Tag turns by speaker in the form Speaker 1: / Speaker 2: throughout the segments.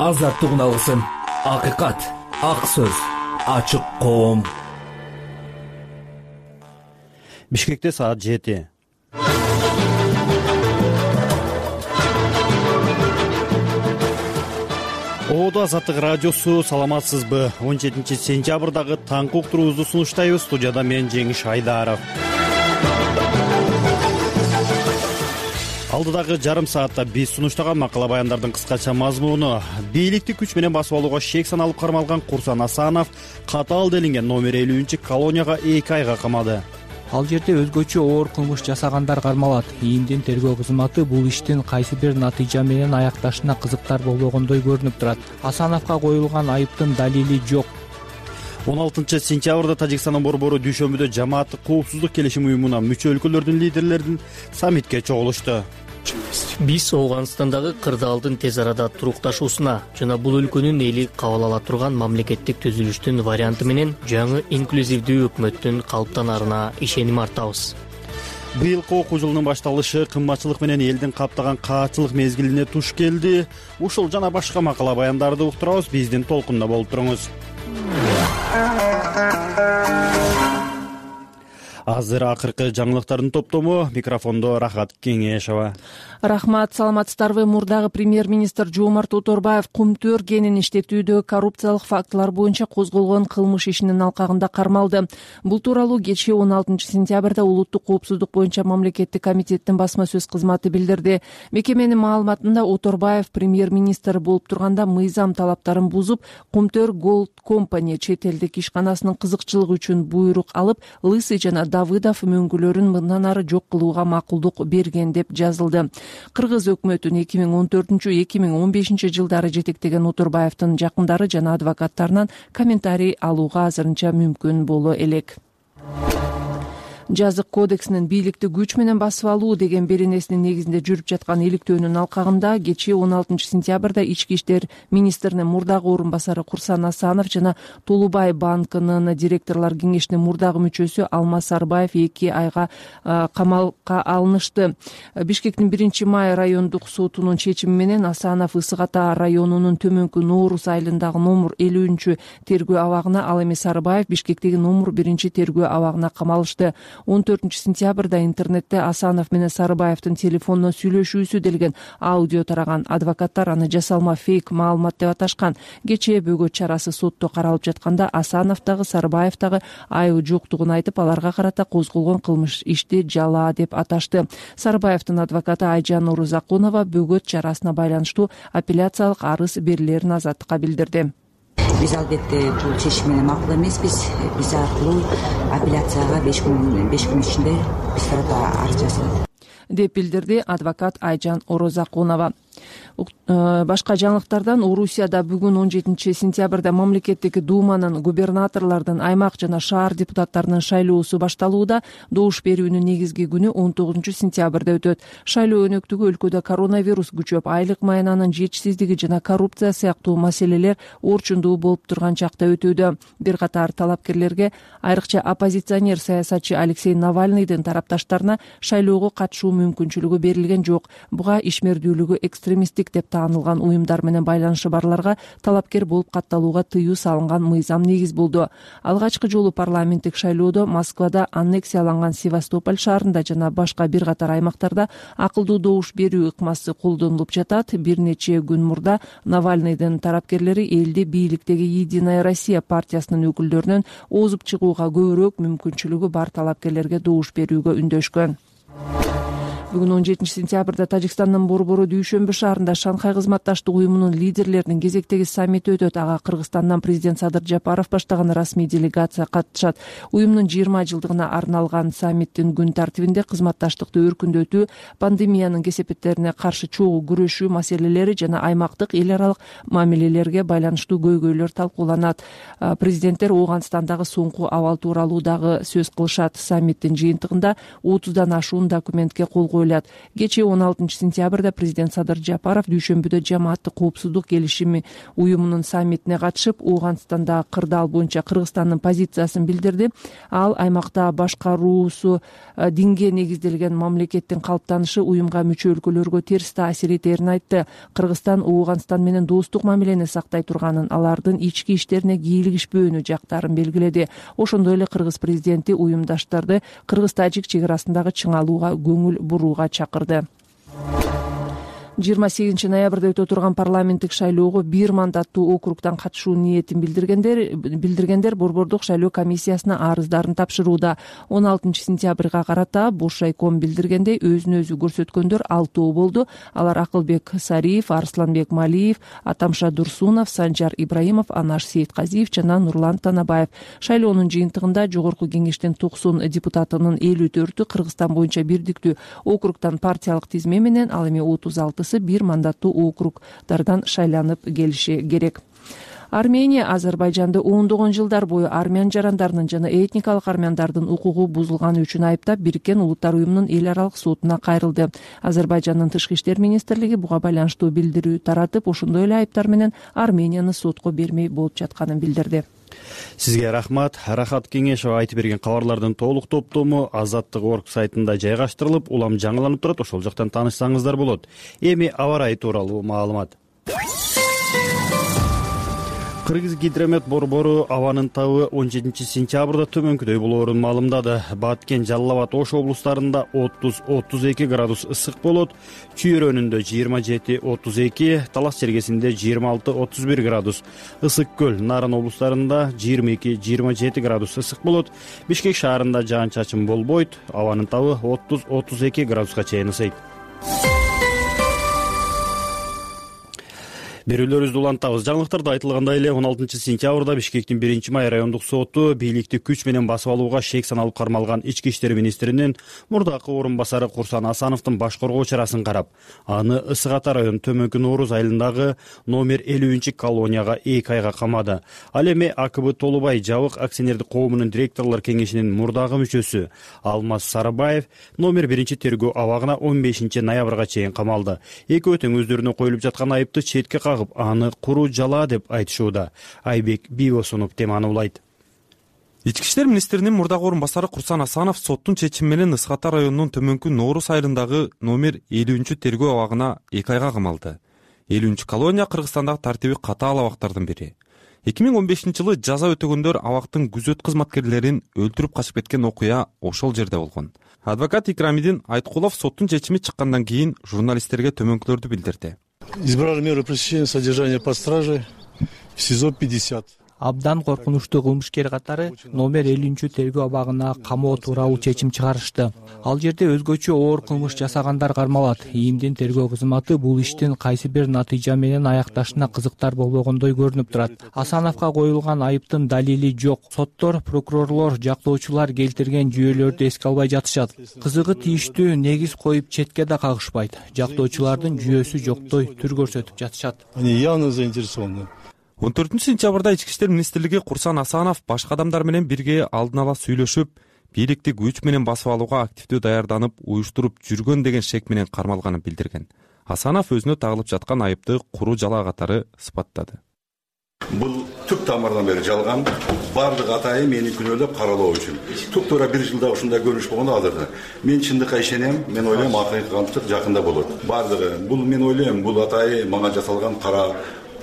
Speaker 1: азаттыгын алсын. Акыйкат, ак сөз, ачык коом.
Speaker 2: Бишкекте саат 7. Оодо Азаттык радиосу, саламатсызбы? 17-сентябрдагы таңкы уктуруубузду сунуштайбыз. Студияда мен Жеңиш Айдаров. Алдыдагы жарым саатта биз сунуштаган макала баяндардын кыскача мазмуну: бийликти күч менен басып алууга шек саналып кармалган Курсан Асанов катаал делинген номер 50-колонияга 2 айга камады.
Speaker 3: Ал жерде өзгөчө оор кылмыш жасагандар кармалат. ИИМдин тергөө кызматы бул иштин кайсы бир натыйжа менен аякташына кызыктар болбогондой көрүнүп турат. Асановго коюлган айыптын далили жок.
Speaker 2: 16-сентябрда Тажикстандын борбору Дүйшөмбүдө жамааттык коопсуздук келишим уюмуна мүчө өлкөлөрдүн лидерлеринин саммитке чогулушту.
Speaker 4: Биз Ооганстандагы кырдаалдын тез арада турукташуусуна жана бул өлкөнүн эли кабыл ала турган мамлекеттик түзүлүштүн варианты менен жаңы инклюзивдүү өкмөттүн калыптанарына ишеним артабыз.
Speaker 2: Быйылкы окуу жылынын башталышы кымбатчылык менен элдин каптаган каатчылык мезгилине туш келди. Ушул жана башка макала баяндарды уктурабыз. Биздин толкунда болуп туруңуз. Азыр акыркы жаңылыктардын топтому. Микрофондо Рахат Кеңешова.
Speaker 5: Рахмат, саламатсыздарбы? Мурдагы премьер-министр Жомарт Оторбаев Кумтөр кенин иштетүүдө коррупциялык фактылар боюнча козголгон кылмыш ишинин алкагында кармалды. Бул тууралуу кечээ 16-сентябрда Улуттук коопсуздук боюнча мамлекеттик комитеттин басма сөз кызматы билдирди. Мекеменин маалыматында Оторбаев премьер-министр болуп турганда мыйзам талаптарын бузуп, Кумтөр Gold Company чет элдик ишканасынын кызыкчылыгы үчүн буйрук алып, Лысый жана Давыдов мөңгүлөрүн мындан ары жок кылууга макулдук берген деп жазылды. Кыргыз өкмөтүн 2014-2015 жылдары жетектеген Оторбаевдин жакындары жана адвокаттарынан комментарий алууга азырынча мүмкүн боло элек. Жазык кодексинин бийликти күч менен басып алуу деген беренесинин негизинде жүрүп жаткан иликтөөнүн алкагында кечээ 16-сентябрда Ички иштер министринин мурдагы орун басары Курсан Асанов жана Толубай банкынын директорлор кеңешинин мурдагы мүчөсү Алмаз Сарбаев 2 айга камалга алынышты. Бишкектин 1-май райондук сотунун чечими менен Асанов Ысык Ата районунун Төмөнкү Нооруз айылындагы номер 50 тергөө абагына, ал эми Сарбаев Бишкектеги номер 1 тергөө абагына камалышты. 14-сентябрда интернетте Асанов менен Сарбаевдин телефондон сүйлөшүүсү делген аудио тараган. Адвокаттар аны жасалма фейк маалымат деп аташкан. Кечээ бөгөт чарасы сотто каралып жатканда Асанов дагы Сарбаев дагы айыбы жоктугун айтып, аларга карата козголгон кылмыш ишти жалаа деп аташты. Сарбаевдин адвокаты Айжан Орозакунова бөгөт чарасына байланыштуу апелляциялык арыз берилерин Азаттыкка билдирди.
Speaker 6: Биз албетте бул чечим менен макул эмеспиз. Биз аркылуу апелляцияга 5 күн ичинде биз тарапка арыз жазабыз
Speaker 5: деп билдирди адвокат Айжан Орозакунова. Башка жаңылыктардан Орусияда бүгүн 17-сентябрда мамлекеттик думанын губернаторлордун, аймак жана шаар депутаттарынын шайлоосу башталууда. Добуш берүүнүн негизги күнү 19-сентябрда өтөт. Шайлоо өнөктүгү өлкөдө коронавирус күчөп, айлык маянанын жетишсиздиги жана коррупция сыяктуу маселелер орчундуу болуп турган чакта өтүүдө. Бир катар талапкерлерге, айрыкча оппозиционер саясатчы Алексей Навальныйдын тарапташтарына шайлоого катышуу мүмкүнчүлүгү берилген жок. Буга ишмердүүлүгү экстремисттик деп таанылган уюмдар менен байланышы барларга талапкер болуп катталууга тыюу салынган мыйзам негиз болду. Алгачкы жолу парламенттик шайлоодо Москвада, аннексияланган Севастополь шаарында жана башка бир катар аймактарда акылдуу добуш берүү ыкмасы колдонулуп жатат. Бир нече күн мурда Навальныйдын тарапкерлери элди бийликтеги Единая Россия партиясынын өкүлдөрүнөн озуп чыгууга көбүрөөк мүмкүнчүлүгү бар талапкерлерге добуш берүүгө үндөшкөн. Бүгүн 17-сентябрда Тажикстандын борбору Дүйшөмбү шаарында Шанхай кызматташтык уюмунун лидерлеринин кезектеги саммити өтөт. Ага Кыргызстандан президент Садыр Жапаров баштаган расмий делегация катышат. Уюмдун 20 жылдыгына арналган саммиттин күн тартибинде кызматташтыкты өркүндөтүү, пандемиянын кесепеттерине каршы чогуу күрөшүү маселелери жана аймактык эл аралык мамилелерге байланыштуу көйгөйлөр талкууланат. Президенттер Ооганстандагы соңку абал тууралуу дагы сөз кылышат. Саммиттин жыйынтыгында 30дан ашуун документке кол коюлат. Кечээ 16-сентябрда президент Садыр Жапаров дүйшөмбүдө жамааттык коопсуздук келишими уюмунун саммитине катышып, Ооганстандагы кырдаал боюнча Кыргызстандын позициясын билдирди. Ал аймакта башкаруусу динге негизделген мамлекеттин калыптанышы уюмга мүчө өлкөлөргө терс таасир этерин айтты. Кыргызстан Ооганстан менен достук мамилени сактай турганын, алардын ички иштерине кийлигишпөөнү жактарын белгиледи. Ошондой эле кыргыз президенти уюмдаштарды кыргыз-тажик чек арасындагы чыңалууга көңүл бурууга чакырды. 28 ноябрда өтө турган парламенттик шайлоого 1 мандаттуу округдан катышуу ниетин билдиргендер Борбордук шайлоо комиссиясына арыздарын тапшырууда. 16-сентябрга карата Бош шайком билдиргендей, өзүн өзү көрсөткөндөр 6 болду. Алар Акылбек Сариев, Арсланбек Малиев, Атамша Дурсунов, Санжар Ибраимов, Анаш Сейитказиев жана Нурлан Танабаев. Шайлоонун жыйынтыгында Жогорку кеңештин 90 депутатынын 54-ü Кыргызстан боюнча бирдиктүү округдан партиялык тизме менен, ал эми 36-сы 1 мандаттуу округдардан шайланып келиши керек. Армения Азербайжанды ондогон жылдар бою армян жарандарынын жана этникалык армяндардын укугу бузулганы үчүн айыптап, Бириккен Улуттар уюмунун эл аралык сотуна кайрылды. Азербайжандын тышкы иштер министрлиги буга байланыштуу билдирүү таратып, ошондой эле айыптар менен Арменияны сотко бермей болуп жатканын билдирди.
Speaker 2: Сизге рахмат. Рахат Кеңешова айтып берген кабарлардын толук топтому Азаттык.орг сайтында жайгаштырылып, улам жаңыланып турат. Ошол жактан таанышсаңыздар болот. Эми аба ырайы тууралуу маалымат. Кыргыз гидромет борбору абанын табы 17-сентябрда төмөнкүдөй болоорун маалымдады. Баткен, Жалал Абад, Ош облустарында 30-32 градус ысык болот. Чүйөрөнүндө 27-32, Талас чергесинде 26-31 градус ысык көл. Нарын облустарында 22-27 градус ысык болот. Бишкек шаарында жаан-чачын болбойт. Абанын табы 30-32 градуска чейин ысыйт. Берүүлөрүбүздү улантабыз. Жаңылыктарда айтылгандай эле 16-сентябрда Бишкектин 1-май райондук соту бийликти күч менен басып алууга шек саналып кармалган ички иштер министринин мурдакы орун басары Курсан Асановдун баш коргоо чарасын карап, аны Ысык Ата району Төмөнкү Нооруз айылындагы номер 50 колонияга 2 айга камады. Ал эми АКБ Толубай жабык акционердик коомунун директорлор кеңешинин мурдагы мүчөсү Алмаз Сарыбаев номер 1 тергөө абагына 15 ноябрга чейин камалды. Экөө тең өздөрүнө коюлуп жаткан айыпты четке аны куру жала деп айтышууда. Айбек Бийбосунов теманы улайт.
Speaker 7: Ички иштер министринин мурдагы орун басары Курсан Асанов соттун чечими менен Ысык Ата районунун Төмөнкү Нооруз айылындагы номер 50 тергөө абагына 2 айга камалды. 50 колония Кыргызстандагы тартиби катаал абактардын бири. 2015-жылы жаза өтөгөндөр абактын күзөт кызматкерлерин өлтүрүп качып кеткен окуя ошол жерде болгон. Адвокат Икрамидин Айткулов соттун чечими чыккандан кийин журналисттерге төмөнкүлөрдү билдирди.
Speaker 8: Избрали меру пресечения содержания под стражей в СИЗО 50.
Speaker 3: Абдан коркунучтуу кылмышкер катары номер 50 тергөө абагына камоо тууралуу чечим чыгарышты. Ал жерде өзгөчө оор кылмыш жасагандар кармалат. ИИМдин тергөө кызматы бул иштин кайсы бир натыйжа менен аякташына кызыктар болбогондой көрүнүп турат. Асановго коюлган айыптын далили жок. Соттор, прокурорлор, жактоочулар келтирген жүйөлөрдү эске албай жатышат. Кызыгы тийиштүү негиз коюп четке да кагышпайт. Жактоочулардын жүйөсү жоктой түр көрсөтүп жатышат.
Speaker 8: Они явно заинтересованы.
Speaker 7: 14-сентябрда Ички иштер министрлиги Курсан Асанов башка адамдар менен бирге алдын ала сүйлөшүп, бийликти күч менен басып алууга активдүү даярданып, уюштуруп жүргөн деген шек менен кармалганын билдирген. Асанов өзүнө тагылып жаткан айыпты куру жала катары сыпаттады.
Speaker 9: Бул түп тамырдан бери жалган, бардык атайы мени күнөөлөп каралоо үчүн. Түп туура 1 жылда ушундай көрүнүш болгондо алдырды. Мен чындыкка ишенем, мен ойлойм акыйкаттык жакында болот. Бардыгы бул мен ойлойм, бул атайы мага жасалган кара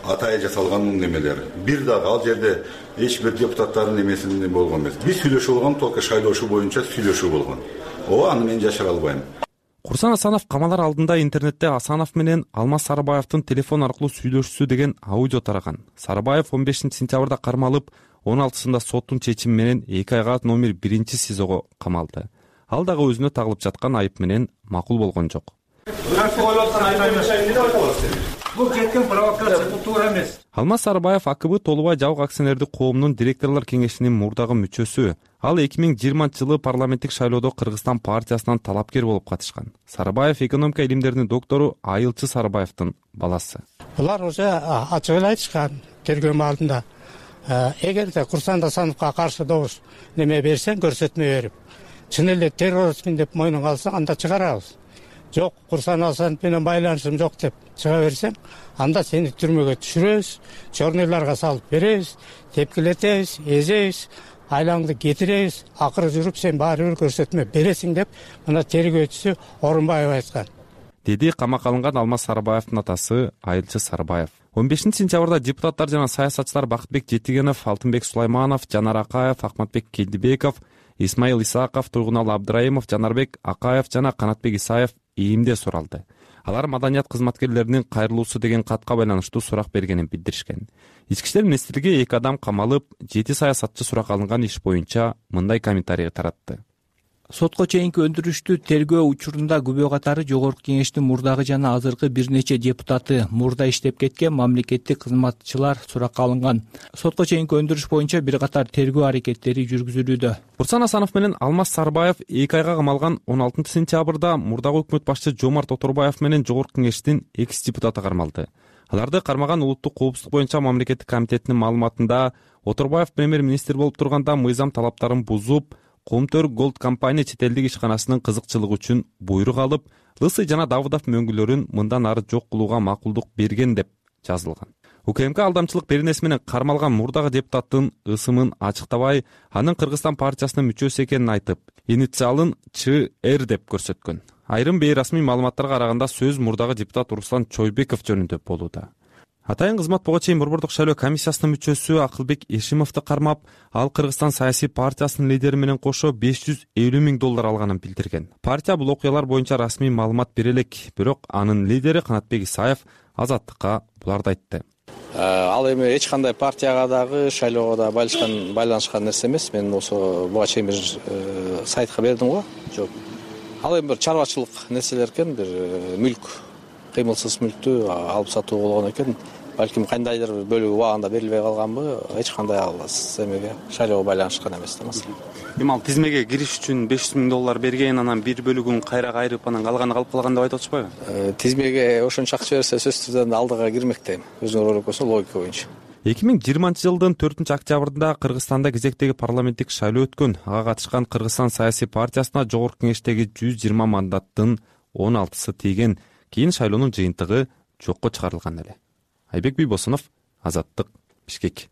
Speaker 9: атайы жасалган немелер. Бир дагы ал жерде эч бир депутаттардын эмесинде болгон эмес. Биз сүйлөшүү болгон, только шайлоошуу боюнча сүйлөшүү болгон. Аны мен жашыра албайм.
Speaker 7: Курсан Асанов камалар алдында интернетте Асанов менен Алмаз Сарыбаевдин телефон аркылуу сүйлөшүүсү деген аудио тараган. Сарыбаев 15-сентябрда кармалып, 16-сында соттун чечими менен 2 айга номер 1 СИЗОго камалды. Ал дагы өзүнө тагылып жаткан айып менен макул болгон жок.
Speaker 1: Бул кеткен провокация, бул туура эмес.
Speaker 7: Алмаз Сарыбаев АКБ Толубай жабык акционердик коомунун директорлор кеңешинин мурдагы мүчөсү. Ал 2020-жылы парламенттик шайлоодо Кыргызстан партиясынан талапкер болуп катышкан. Сарыбаев экономика илимдеринин доктору Айылчы Сарыбаевдин баласы.
Speaker 10: Булар уже ачык эле айтышкан тергөө алдында. Эгерде Курсан Асановго каршы добуш неме берсең, көрсөтмө берип, чын эле террористмин деп мойнуңа алсаң, анда чыгарабыз. жок, Курсан Асанов менен байланышым жок деп чыга берсең, анда сени түрмөгө түшүрөбүз, чорнойлорго салып беребиз, тепкилетебиз, эзебиз, айлаңды кетиребиз, акыры жүрүп сен баары бир көрсөтмө бересиң деп мына тергөөчүсү Орунбаев айткан,
Speaker 7: деди камакка алынган Алмаз Сарыбаевдин атасы Айылчы Сарыбаев. 15-сентябрда депутаттар жана саясатчылар Бакытбек Жетигенов, Алтынбек Сулайманов, Жанар Акаев, Акматбек Келдибеков, Исмаил Исаков, Тургуналы Абдыраимов, Жанарбек Акаев жана Канатбек Исаев ийимде суралды. Алар маданият кызматкерлеринин кайрылуусу деген катка байланыштуу сурак бергенин билдиришкен. Ички иштер министрлиги 2 адам камалып, 7 саясатчы суракка алынган иш боюнча мындай комментарий таратты.
Speaker 3: Сотко чейинки өндүрүштүү тергөө учурунда күбө катары Жогорку Кеңештин мурдагы жана азыркы бир нече депутаты, мурда иштеп кеткен мамлекеттик кызматчылар суракка алынган. Сотко чейинки өндүрүш боюнча бир катар тергөө аракеттери жүргүзүлүүдө.
Speaker 7: Курсан Асанов менен Алмаз Сарыбаев 2 айга камалган 16-сентябрда мурдагы өкмөт башчы Жомарт Оторбаев менен Жогорку Кеңештин экс депутаты кармалды. Аларды кармаган Улуттук коопсуздук боюнча мамлекеттик комитетинин маалыматында Оторбаев премьер-министр болуп турганда мыйзам талаптарын бузуп, Комтөр Голд компания чет элдик ишканасынын кызыкчылыгы үчүн буйрук алып, Лысый жана Давыдов мөңгүлөрүн мындан ары жок кылууга макулдук берген деп жазылган. УКМК алдамчылык беренеси менен кармалган мурдагы депутаттын ысымын ачыктабай, анын Кыргызстан партиясынын мүчөсү экенин айтып, инициалын ЧР деп көрсөткөн. Айрым бейрасмий маалыматтарга караганда сөз мурдагы депутат Руслан Чойбеков жөнүндө болууда. Атайын кызмат буга чейин Борбордук шайлоо комиссиясынын мүчөсү Акылбек Эшимовду кармап, ал Кыргызстан саясий партиясынын лидери менен кошо $550 миң алганын билдирген. Партия бул окуялар боюнча расмий маалымат бере элек, бирок анын лидери Канатбек Исаев Азаттыкка буларды айтты.
Speaker 11: Ал эми эч кандай партияга дагы, шайлоого да байланышкан нерсе эмес. Мен болсо буга чейин бир сайтка бердим го. Жок. Ал эми бир чарбачылык нерселер экен, бир мүлк, кыймылсыз мүлктү алып сатуу болгон экен. Балким кандайдыр бөлүгү убагында берилбей калганбы, эч кандай ал эмеге, шайлоого байланышкан эмес да маселе.
Speaker 7: Эми ал тизмеге кириш үчүн $500 миң берген, анан бир бөлүгүн кайра кайрып, анан калганы калып калган деп айтып атышпайбы?
Speaker 11: Тизмеге ошончо акча берсе, сөзсүз түрдө алдыга кирмек дейм. Өзүңөр ойлоп көрсөң, логика боюнча.
Speaker 7: 2020 жылдын 4-октябрында Кыргызстанда кезектеги парламенттик шайлоо өткөн. Ага катышкан Кыргызстан саясий партиясына Жогорку Кеңештеги 120 мандаттын 16сы тийген. Кийин шайлоонун жыйынтыгы жокко чыгарылган эле. Айбек Бийбосунов, Азаттык, Бишкек.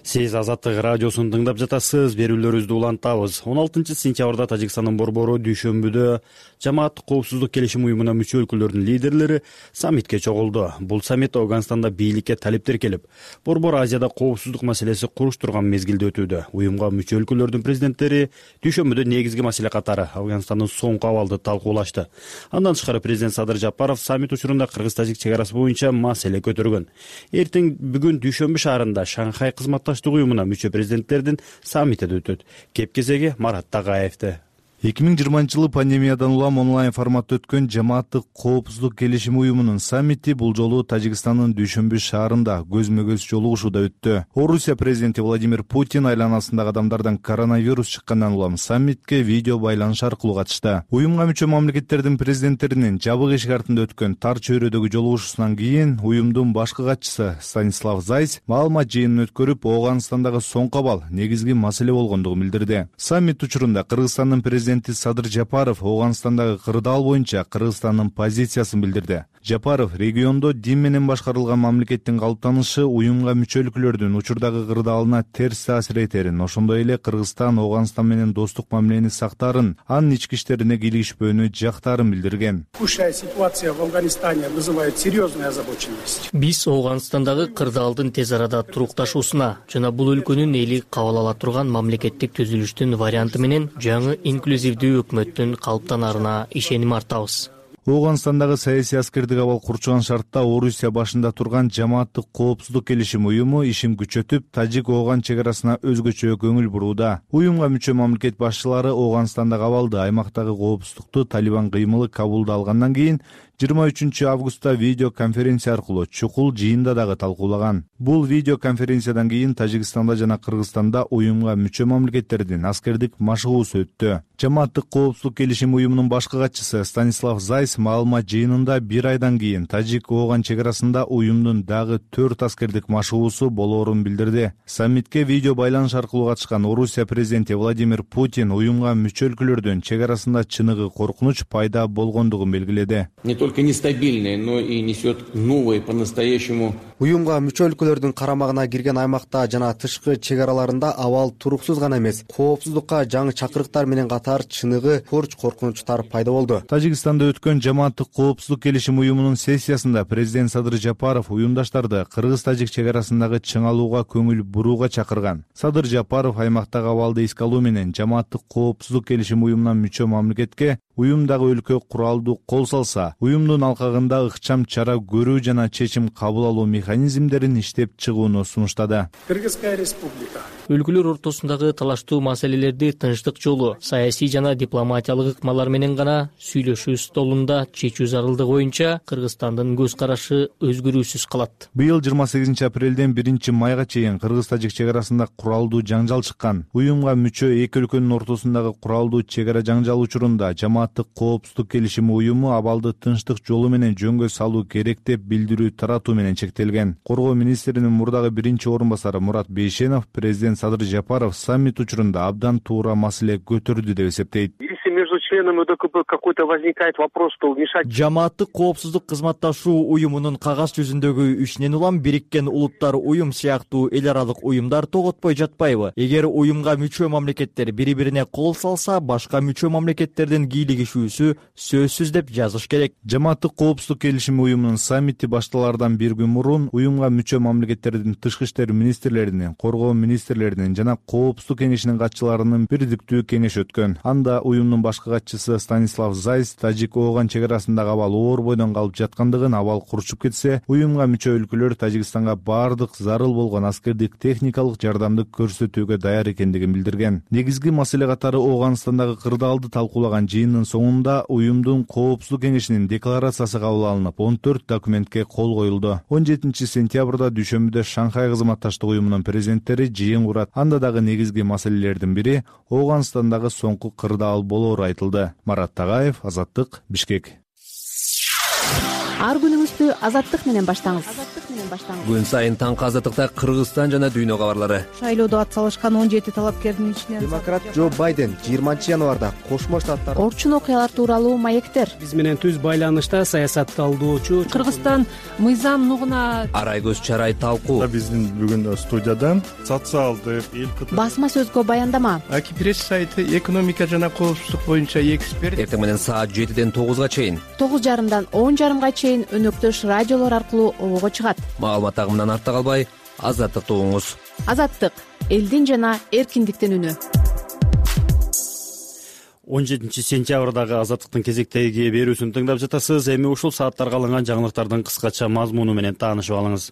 Speaker 2: Сиз Азаттык радиосун тыңдап жатасыз. Берүүлөрүбүздү улантабыз. 16-сентябрда Тажикстандын борбору Дүйшөмбүдө жамааттык коопсуздук келишим уюмуна мүчө өлкөлөрдүн лидерлери саммитке чогулду. Бул саммит Афганстанда бийликке талептер келип, борбор Азияда коопсуздук маселеси куруштурган мезгилде өтүүдө. Уюмга мүчө өлкөлөрдүн президенттери Дүйшөмбүдө негизги маселе катары Афганстандын соңку абалды талкуулашты. Андан тышкары президент Садыр Жапаров саммит учурунда кыргыз-тажик чек арасы боюнча маселе көтөргөн. Эртең бүгүн Дүйшөмбү шаарында Шанхай кызматташтык уюмуна мүчө президенттердин саммити өтөт. Кепкезеги Марат Тагаевди.
Speaker 12: 2020 жылы пандемиядан улам онлайн форматта өткөн жамааттык коопсуздук келишим уюмунун саммити бул жолу Тажикстандын Дүйшөмбү шаарында көзмө-көз жолугушууда өттү. Орусия президенти Владимир Путин айланасындагы адамдардан коронавирус чыккандан улам саммитке видео байланыш аркылуу катышты. Уюмга мүчө мамлекеттердин президенттеринин жабык эшик артында өткөн тар чөйрөдөгү жолугушуусунан кийин уюмдун башкы катчысы Станислав Зайц маалымат жыйынын өткөрүп, Афганстандагы соңку абал негизги маселе болгондугун билдирди. Саммит учурунда Кыргызстандын президенти Садыр Жапаров Афганстандагы кырдаал боюнча Кыргызстандын позициясын билдирди. Жапаров региондо дин менен башкарылган мамлекеттин калыптанышы уюмга мүчө өлкөлөрдүн учурдагы кырдаалына терс таасир этерин, ошондой эле Кыргызстан Афганстан менен достук мамилени сактаарын, анын ички иштерине кийлигишпөөнү жактаарын билдирген.
Speaker 13: Текущая ситуация в Афганистане вызывает серьезную озабоченность.
Speaker 4: Биз Афганстандагы кырдаалдын тез арада турукташуусуна жана бул өлкөнүн эли кабыл ала турган мамлекеттик түзүлүштүн варианты менен жаңы инклюзивдүү өкмөттүн калыптанаарына ишеним артабыз.
Speaker 12: Афганстандагы саясий аскердик абал курчуган шартта Орусия башында турган жамааттык коопсуздук келишим уюму ишин күчөтүп, Тажик-Афган чек арасына өзгөчө көңүл бурууда. Уюмга мүчө мамлекет башчылары Афганстандагы абалды, аймактагы коопсуздукту Талибан кыймылы Кабулда алгандан кийин 23 августта видео конференция аркылуу чукул жыйында дагы талкуулаган. Бул видео конференциядан кийин Тажикстанда жана Кыргызстанда уюмга мүчө мамлекеттердин аскердик машыгуусу өттү. Жамааттык коопсуздук келишим уюмунун башкы катчысы Станислав Зайс маалымат жыйынында бир айдан кийин Тажик-Ооган чегарасында уюмдун дагы 4 аскердик машыгуусу болоорун билдирди. Саммитке видео байланыш аркылуу катышкан Орусия президенти Владимир Путин уюмга мүчө өлкөлөрдүн чегарасында чыныгы коркунуч пайда болгондугун белгиледи.
Speaker 14: Не только нестабильный, но и несет новые по-настоящему.
Speaker 15: Уюмга мүчө өлкөлөрдүн карамагына кирген аймакта жана тышкы чегараларында абал туруксуз гана эмес, коопсуздукка жаңы чакырыктар менен катар чыныгы коркунучтар пайда болду.
Speaker 12: Тажикстанда өткөн жамааттык коопсуздук келишим уюмунун сессиясында президент Садыр Жапаров уюмдаштарды кыргыз-тажик чегарасындагы чыңалууга көңүл бурууга чакырган. Садыр Жапаров аймактагы абалды эске алуу менен жамааттык коопсуздук келишим уюмуна мүчө мамлекетке уюмдагы өлкө куралдуу кол салса, уюмдун алкагында ыкчам чара көрүү жана чечим кабыл алуу механизмдерин иштеп чыгууну сунуштады.
Speaker 13: Кыргызская республика
Speaker 4: өлкөлөр ортосундагы талаштуу маселелерди тынчтык жолу, саясий жана дипломатиялык ыкмалар менен гана сүйлөшүү столунда чечүү зарылдыгы боюнча Кыргызстандын көз карашы өзгөрүүсүз калат.
Speaker 12: Быйыл 28 апрелден 1 майга чейин Кыргыз-тажик чегарасында куралдуу жаңжал чыккан. Уюмга мүчө эки өлкөнүн ортосундагы куралдуу чегара жаңжалы учурунда жамааттык коопсуздук келишими уюму абалды тынчтык жолу менен жөнгө салуу керек деп билдирүү таратуу менен чектелген. Коргоо министринин мурдагы биринчи орун басары Мурат Бейшенов президент Садыр Жапаров саммит учурунда абдан туура маселе көтөрдү деп эсептейт.
Speaker 16: Между членами УДКБ какой-то возникает вопрос, то вмешать.
Speaker 17: Жамааттык коопсуздук кызматташуу уюмунун кагаз жүзүндөгү ишинен улам Бириккен Улуттар уюм сыяктуу эл аралык уюмдар тоготпой жатпайбы? Эгер уюмга мүчө мамлекеттер бири-бирине кол салса, башка мүчө мамлекеттердин кийлигишүүсү сөзсүз деп жазыш керек.
Speaker 12: Жамааттык коопсуздук келишими уюмунун саммити башталаардан бир күн мурун уюмга мүчө мамлекеттердин тышкы иштер министрлеринин, коргоо министрлеринин жана коопсуздук кеңешинин катчыларынын бирдиктүү кеңеши өткөн. Анда уюмдун башкы катчысы Станислав Зайс Тажик-Ооган чегарасындагы абал оор бойдон калып жаткандыгын, абал курчуп кетсе, уюмга мүчө өлкөлөр Тажикстанга бардык зарыл болгон аскердик техникалык жардамды көрсөтүүгө даяр экендигин билдирген. Негизги маселе катары Ооганстандагы кырдаалды талкуулаган жыйындын соңунда уюмдун коопсуздук кеңешинин декларациясы кабыл алынып, 14 документке кол коюлду. 17 сентябрда дүйшөмбүдө Шанхай кызматташтык уюмунун президенттери жыйын курат. Анда дагы негизги маселелердин бири Ооганстандагы соңку кырдаал болоору айтылды. Марат Тагаев, Азаттык, Бишкек.
Speaker 18: Ар күнүңүздү Азаттык менен баштаңыз.
Speaker 1: Күн сайын таңкы Азаттыкта Кыргызстан жана дүйнө кабарлары.
Speaker 18: Шайлоодо ат салышкан 17 талапкердин ичинен
Speaker 15: демократ Джо Байден 20 январда Кошмо Штаттар
Speaker 18: орчун окуялар тууралуу маектер.
Speaker 19: Биз менен түз байланышта саясатталуучу
Speaker 5: Кыргызстан мыйзам нугуна
Speaker 1: Арай көз чарай талкуу.
Speaker 8: Биздин бүгүн студияда социалдык
Speaker 18: басма сөзгө баяндама.
Speaker 20: Аки пресс сайты экономика жана коопсуздук боюнча эксперт.
Speaker 1: Эртең менен саат 7ден 9га чейин,
Speaker 18: 9:30дан 10:30га чейин өнөктөш радиолор аркылуу обого чыгат.
Speaker 1: Маалымат агымынан артта калбай, Азаттыкты угуңуз.
Speaker 18: Азаттык — элдин жана эркиндиктин үнү.
Speaker 2: 17 сентябрдагы Азаттыктын кезектеги берүүсүн тыңдап жатасыз. Эми ушул сааттарга алынган жаңылыктардын кыскача мазмуну менен таанышып алыңыз.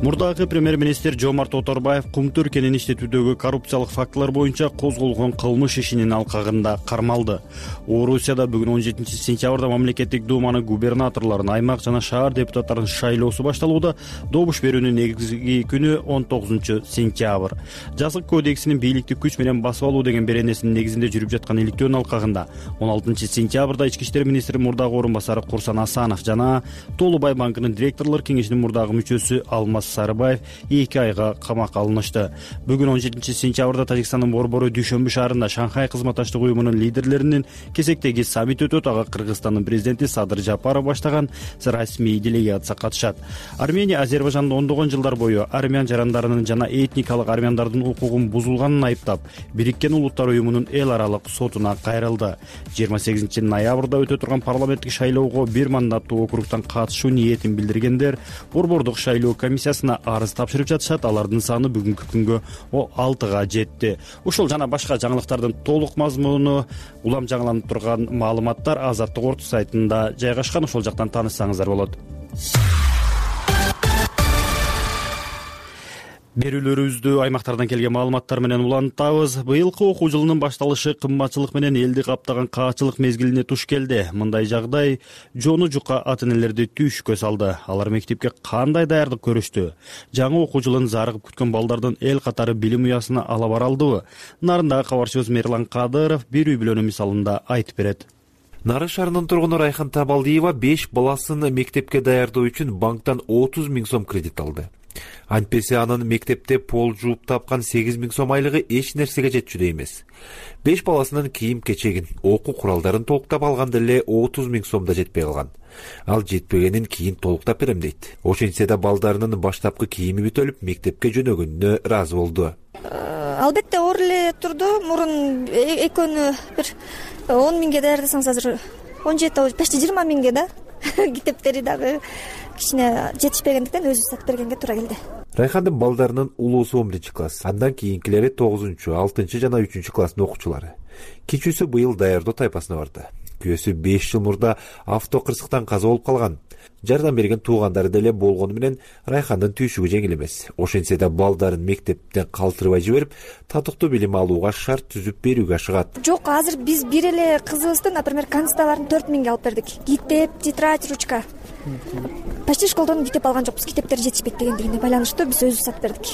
Speaker 2: Мурдагы премьер-министр Жомарт Оторбаев Кумту өлкөнүн иштетүүдөгү коррупциялык фактылар боюнча козголгон кылмыш ишинин алкагында кармалды. Орусияда бүгүн 17 сентябрда мамлекеттик думаны губернаторлорун, аймак жана шаар депутаттарынын шайлоосу башталууда. Добуш берүүнүн негизги күнү 19 сентябрь. Жазык кодексинин бийликти күч менен басып алуу деген беренесинин негизинде жүрүп жаткан иликтөөнүн алкагында 16 сентябрда ички иштер министри мурдагы орун басары Курсан Асанов жана Толубай банкынын директорлор кеңешинин мурдагы мүчөсү Алмаз Сарыбаев 2 айга камакка алынышты. Бүгүн 17 сентябрда Тажикстандын Борбору Дүйшөмбү шаарында Шанхай кызматташтык уюмунун лидерлеринин кезектеги саммити өтөт. Ага Кыргызстандын президенти Садыр Жапаров баштаган расмий делегация катышат. Армения Азербайжанда ондогон жылдар бою армян жарандарынын жана этникалык армяндардын укугун бузулганын айыптап, Бириккен Улуттар уюмунун эл аралык сотуна кайрылды. 28 ноябрда өтө турган парламенттик шайлоого бир мандаттуу округтан катышуу ниетин билдиргендер Борбордук шайлоо комиссиясына арыз тапшырып жатышат. Алардын саны бүгүнкү күнгө 6га жетти. Ушул жана башка жаңылыктардын толук мазмуну, улам жаңыланып турган маалыматтар Азаттык орто сайтында жайгашкан. Ошол жактан таанышсаңыздар болот. Берүүлөрүбүздү аймактардан келген маалыматтар менен улантабыз. Быйылкы окуу жылынын башталышы кымбатчылык менен элди каптаган каачылык мезгилине туш келди. Мындай жагдай жону жука ата энелерди түйшүккө салды. Алар мектепке кандай даярдык көрүштү? Жаңы окуу жылын зарыгып күткөн балдардын эл катары билим уясына ала бара алдыбы? Нарындагы кабарчыбыз Мерлан Кадыров бир үй бүлөнүн мисалында айтып берет.
Speaker 21: Нарын шаарынын тургуну Райхан Табалдиева 5 баласын мектепке даярдоо үчүн банктан 30 000 сом кредит алды. Антпесе анын мектепте пол жууп тапкан 8 000 сом айлыгы эч нерсеге жетчүдөй эмес. 5 баласынын кийим-кечегин, окуу куралдарын толуктап алганда эле 30 000 сом да жетпей калган. Ал жетпегенин кийин толуктап берем дейт. Ошентсе да балдарынын баштапкы кийими бүтөлүп, мектепке жөнөгөнүнө ыраазы болду.
Speaker 22: Албетте оор эле турду. Мурун экөөнү бир 10 000ге даярдасаңыз азыр 17 почти 20 000ге да. Китептери дагы кичине жетишпегендиктен өзү сатып бергенге туура келди.
Speaker 21: Райхандын балдарынын улуусу 11 класс, андан кийинкилери 9, 6 жана 3 класстын окуучулары. Кичүүсү быйыл даярдоо тайпасына барды. Күйөөсү 5 жыл мурда автокырсыктан каза болуп калган. Жардам берген туугандары деле болгону менен Райхандын түйшүгү жеңил эмес. Ошентсе да балдарын мектептен калтырбай жиберип, татыктуу билим алууга шарт түзүп берүүгө ашыгат.
Speaker 22: Жок, азыр биз бир эле кызыбызды, например, консталарын 4 000ге алып бердик. Китеп, тетрадь, ручка. Почти школдон китеп алган жокпуз. Китептери жетишпейт дегендигине байланыштуу биз өзүбүз сатып бердик.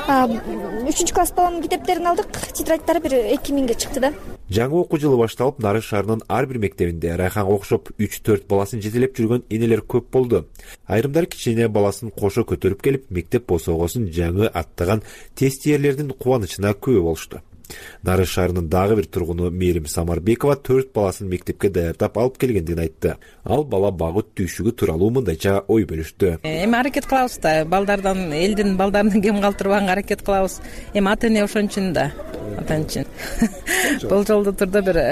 Speaker 22: 3 класс баламдын китептерин алдык, тетрадьдары бир 2 000ге чыкты да.
Speaker 21: Жаңы окуу жылы башталып, Нарын шаарынын ар бир мектебинде Райханга окшоп 3-4 баласын жетелеп жүргөн энелер көп болду. Айрымдары кичине баласын кошо көтөрүп келип, мектеп босогосун жаңы аттаган тестиерлердин кубанычына күбө болушту. Нарын шаарынын дагы бир тургуну Мээрим Самарбекова 4 баласын мектепке даярдап алып келгендигин айтты. Ал бала багыт түйшүгү тууралуу мындайча ой бөлүштү.
Speaker 23: Эми аракет кылабыз да, балдардан, элдин балдарын кем калтырбаганга аракет кылабыз. Эми ата эне ошон үчүн да. Ата эне үчүн. Бул жолду турда бир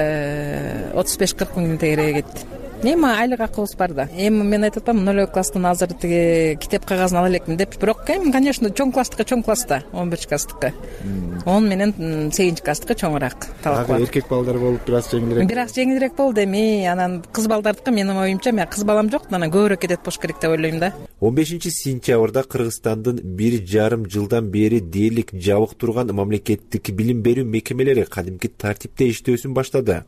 Speaker 23: 35-40 миң тегерege кетти. Эми айлык акыбыз бар да. Эми мен айтып атпаймынбы, 0 класстын азыр тиги китеп кагазын ала элекмин деп. Бирок эми, конечно, чоң класста, 11 класстыкы. 10 менен 8 класстыкы чоңураак талап бар.
Speaker 24: Эркек балдар болуп бир аз жеңилирээк.
Speaker 23: Бир аз жеңилирээк болду. Эми анан кыз балдардыкы менин оюмча, мен кыз балам жок, анан көбүрөөк кетет болуш керек деп ойлойм да.
Speaker 21: 15-сентябрда Кыргызстандын 1,5 жылдан бери дээрлик жабык турган мамлекеттик билим берүү мекемелери кадимки тартипте иштөөсүн баштады.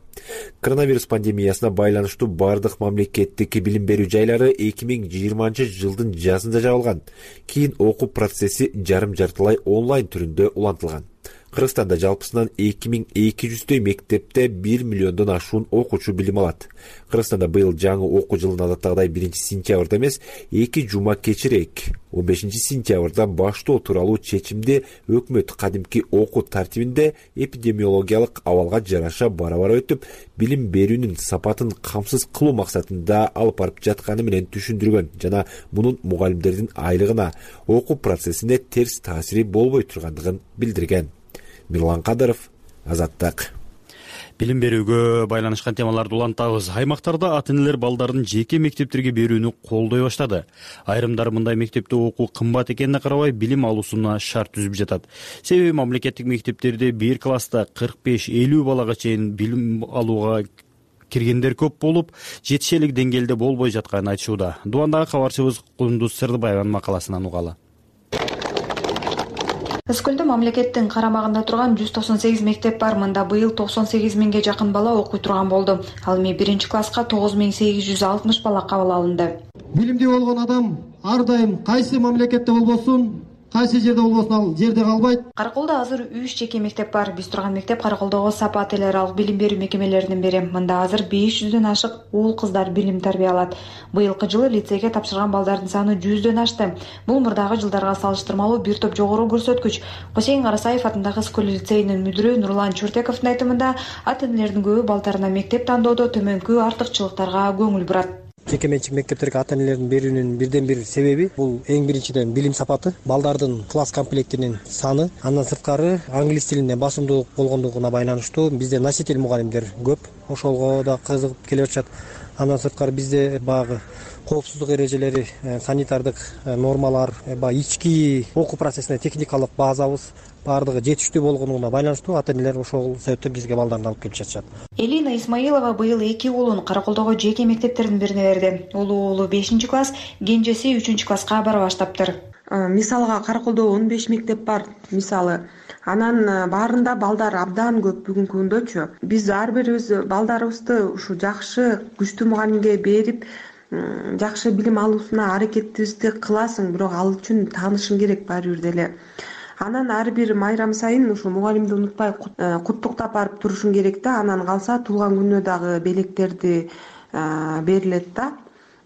Speaker 21: Коронавирус пандемиясына байланыштуу бардык мамлекеттик билим берүү жайлары 2020 жылдын жазында жабылган. Кийин окуу процесси жарым-жартылай онлайн түрүндө улантылган. Кыргызстанда жалпысынан 2200 мектепте 1 миллиондон ашуун окуучу билим алат. Кыргызстанда быйыл жаңы окуу жылын адаттагыдай 1-сентябрда эмес, 2 жума кечирээк 15-сентябрда баштоо тууралуу чечимди өкмөт кадимки окуу тартибинде эпидемиологиялык абалга жараша бара-бара өтүп, билим берүүнүн сапатын камсыз кылуу максатында алып барып жатканы менен түшүндүргөн жана мунун мугалимдердин айлыгына, окуу процессине терс таасири болбой тургандыгын билдирген. Мерлан Кадыров, Азаттык.
Speaker 2: Билим берүүгө байланышкан темаларды улантабыз. Аймактарда ата энелер балдарын жеке мектептерге берүүнү колдой баштады. Айрымдары мындай мектепте окуу кымбат экенине карабай билим алуусуна шарт түзүп жатат. Себеби мамлекеттик мектептерде 1 класста 45-50 балага чейин билим алууга киргендер көп болуп, жетишелик деңгээлде болбой жатканын айтышууда. Дубандагы кабарчыбыз Кундуз Сырдыбаеванын макаласынан угалы.
Speaker 25: Өскөлдө мамлекеттин карамагында турган 198 мектеп бар. Мында быйыл 98 000ге жакын бала окуй турган болду. Ал эми 1-класска 9860 бала кабыл алынды.
Speaker 26: Билимдүү болгон адам ар дайым кайсы мамлекетте болбосун, кайсы жерде болбосун ал жерде калбайт.
Speaker 25: Караколдо азыр 3 жеке мектеп бар. Биз турган мектеп Караколдогу Сапа ателералык билим берүү мекемелеринин бири. Мында азыр 500дөн ашык уул кыздар билим тарбия алат. Быйылкы жылы лицейге тапшырган балдардын саны 100дөн ашты. Бул мурдагы жылдарга салыштырмалуу бир топ жогору көрсөткүч. Косейин Карасаев атындагы Скөл лицейинин мүдүрү Нурлан Чуртековдун айтымында, ата энелердин көбү балдарына мектеп тандоодо төмөнкү артыкчылыктарга көңүл бурат.
Speaker 27: Жеке менчик мектептерге ата энелердин берүүнүн бирден бир себеби бул эң биринчиден билим сапаты, балдардын класс комплектинин саны, андан сырткары англис тилине басымдуулук болгондугуна байланыштуу бизде носитель мугалимдер көп, ошолго да кызыгып келе жатышат. Андан сырткары бизде багы коопсуздук эрежелери, санитардык нормалар, ички окуу процессине техникалык базабыз баардыгы жетиштүү болгондугуна байланыштуу ата энелер ошол себептен бизге балдарын алып келип жатышат.
Speaker 25: Элина Исмаилова быйыл 2 уулун Караколдогу жеке мектептердин бирине берди. Улуу уулу 5-класс, кенжеси 3-класска бара баштаптыр.
Speaker 3: Мисалга Караколдо 15 мектеп бар мисалы. Анан баарында балдар абдан көп бүгүнкү күндөчү. Биз ар бирибиз балдарыбызды ушу жакшы күчтүү мугалимге берип, жакшы билим алуусуна аракетибизди кыласың, бирок ал үчүн таанышың керек баары бир деле. Анан ар бир майрам сайын ушул мугалимди унутпай куттуктап барып турушуң керек да. Анан калса туулган күнүнө дагы белектерди берилет да.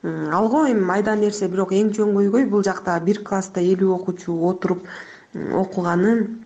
Speaker 3: Алго эми майда нерсе, бирок эң чоң көйгөй бул жакта бир класста 50 окуучу отуруп окуганы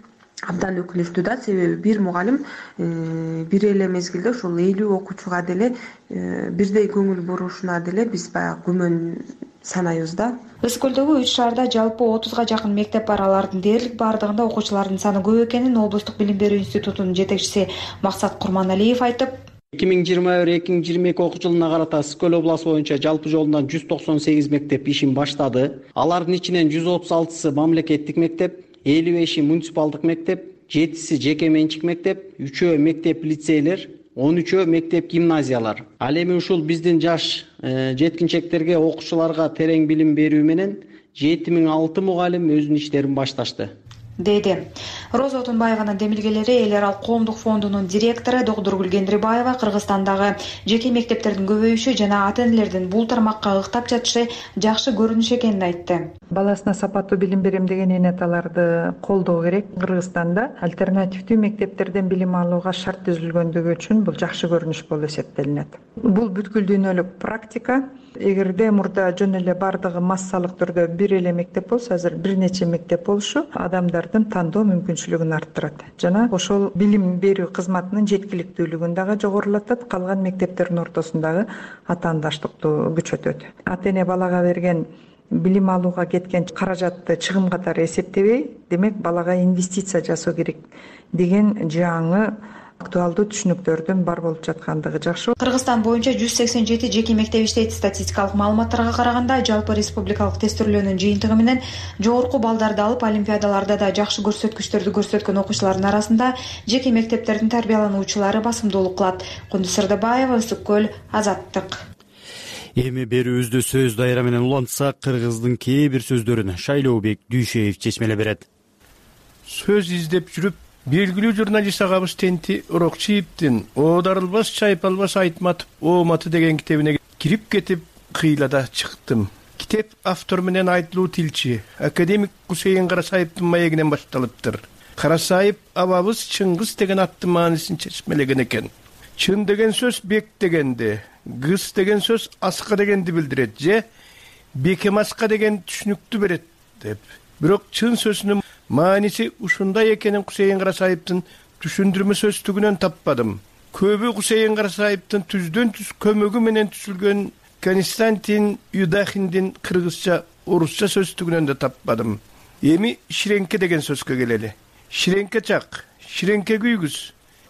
Speaker 3: абдан өкүнүчтүү да. Себеби бир мугалим бир эле мезгилде ушул 50 окуучуга деле бирдей көңүл бурушуна деле биз баягы күмөн санайбыз да.
Speaker 25: Өз көлдөгү 3 шаарда жалпы 30га жакын мектеп бар. Алардын дээрлик бардыгында окуучулардын саны көп экенин облустук билим берүү институтунун жетекчиси Максат Курманалиев айтып,
Speaker 6: 2021-2022 окуу жылына карата Ысык көл областы боюнча жалпы жолунан 198 мектеп ишин баштады. Алардын ичинен 136сы мамлекеттик мектеп, 55 муниципалдык мектеп, 7 жеке менчик мектеп, 3 мектеп лицейлер, 13 мектеп гимназиялар. Ал эми ушул биздин жаш жеткинчектерге, окуучуларга терең билим берүү менен 7006 мугалим өзүнүн иштерин башташты,
Speaker 25: дейди. Роза Отунбаеванын демилгелери Эл аралык коомдук фондунун директору Доктургүл Кендирбаева Кыргызстандагы жеке мектептердин көбөйүшү жана ата-энелердин бул тармакка ыктап жатышы жакшы көрүнүш экенин айтты.
Speaker 7: Баласына сапаттуу билим берем деген эне аталарды колдоо керек. Кыргызстанда альтернативдүү мектептерден билим алууга шарт түзүлгөндүгү үчүн бул жакшы көрүнүш болуп эсептелинет. Бул бүткүл дүйнөлүк практика. Эгерде мурда жөн эле бардыгы массалык түрдө бир эле мектеп болсо, азыр бир нече мектеп болушу адамдардын тандоо мүмкүнчүлүгүн арттырат жана ошол билим берүү кызматынын жеткиликтүүлүгүн дагы жогорулатат. Калган мектептердин ортосундагы атаандаштыкты күчөтөт. Ата эне балага берген билим алууга кеткен каражатты чыгым катары эсептебей, демек балага инвестиция жасоо керек деген жаңы актуалдуу түшүнүктөрдүн бар болуп жаткандыгы жакшы.
Speaker 25: Кыргызстан боюнча 187 жеке мектеп иштейт. Статистикалык маалыматтарга караганда жалпы республикалык тестирлөөнүн жыйынтыгы менен жогорку балдарды алып олимпиадаларда да жакшы көрсөткүчтөрдү көрсөткөн окуучулардын арасында жеке мектептердин тарбиялануучулары басымдуулук кылат. Кундуз Сырдыбаева, Ысык көл, Азаттык.
Speaker 2: Эми берүүбүздү сөз дайра менен улантсак, кыргыздын кээ бир сөздөрүн Шайлообек Дүйшеев чечмеле берет.
Speaker 20: Сөз издеп жүрүп белгилүү журналист агабыз Тенти Урокчиевдин "Оодарылбас чайпалбас айтматып ооматы" деген китебине кирип кетип кыйлада чыктым. Китеп автор менен айтылуу тилчи академик Гусейин Карасаевдин маегинен башталыптыр. Карасаев абабыз Чыңгыз деген аттын маанисин чечмелеген экен. Чын деген сөз бек дегенди, гыс деген сөз аска дегенди билдирет же бекемаска деген түшүнүктү берет деп. Бирок чын сөзүнүн мааниси ушундай экенин Гусейин Карасаевдин түшүндүрмө сөздүгүнөн таппадым. Көбү Гусейин Карасаевдин түздөн түз көмөгү менен түзүлгөн Константин Юдахиндин кыргызча, орусча сөздүгүнөн да таппадым. Эми ширеңке деген сөзгө келели. Ширеңке чак, ширеңке күйгүз,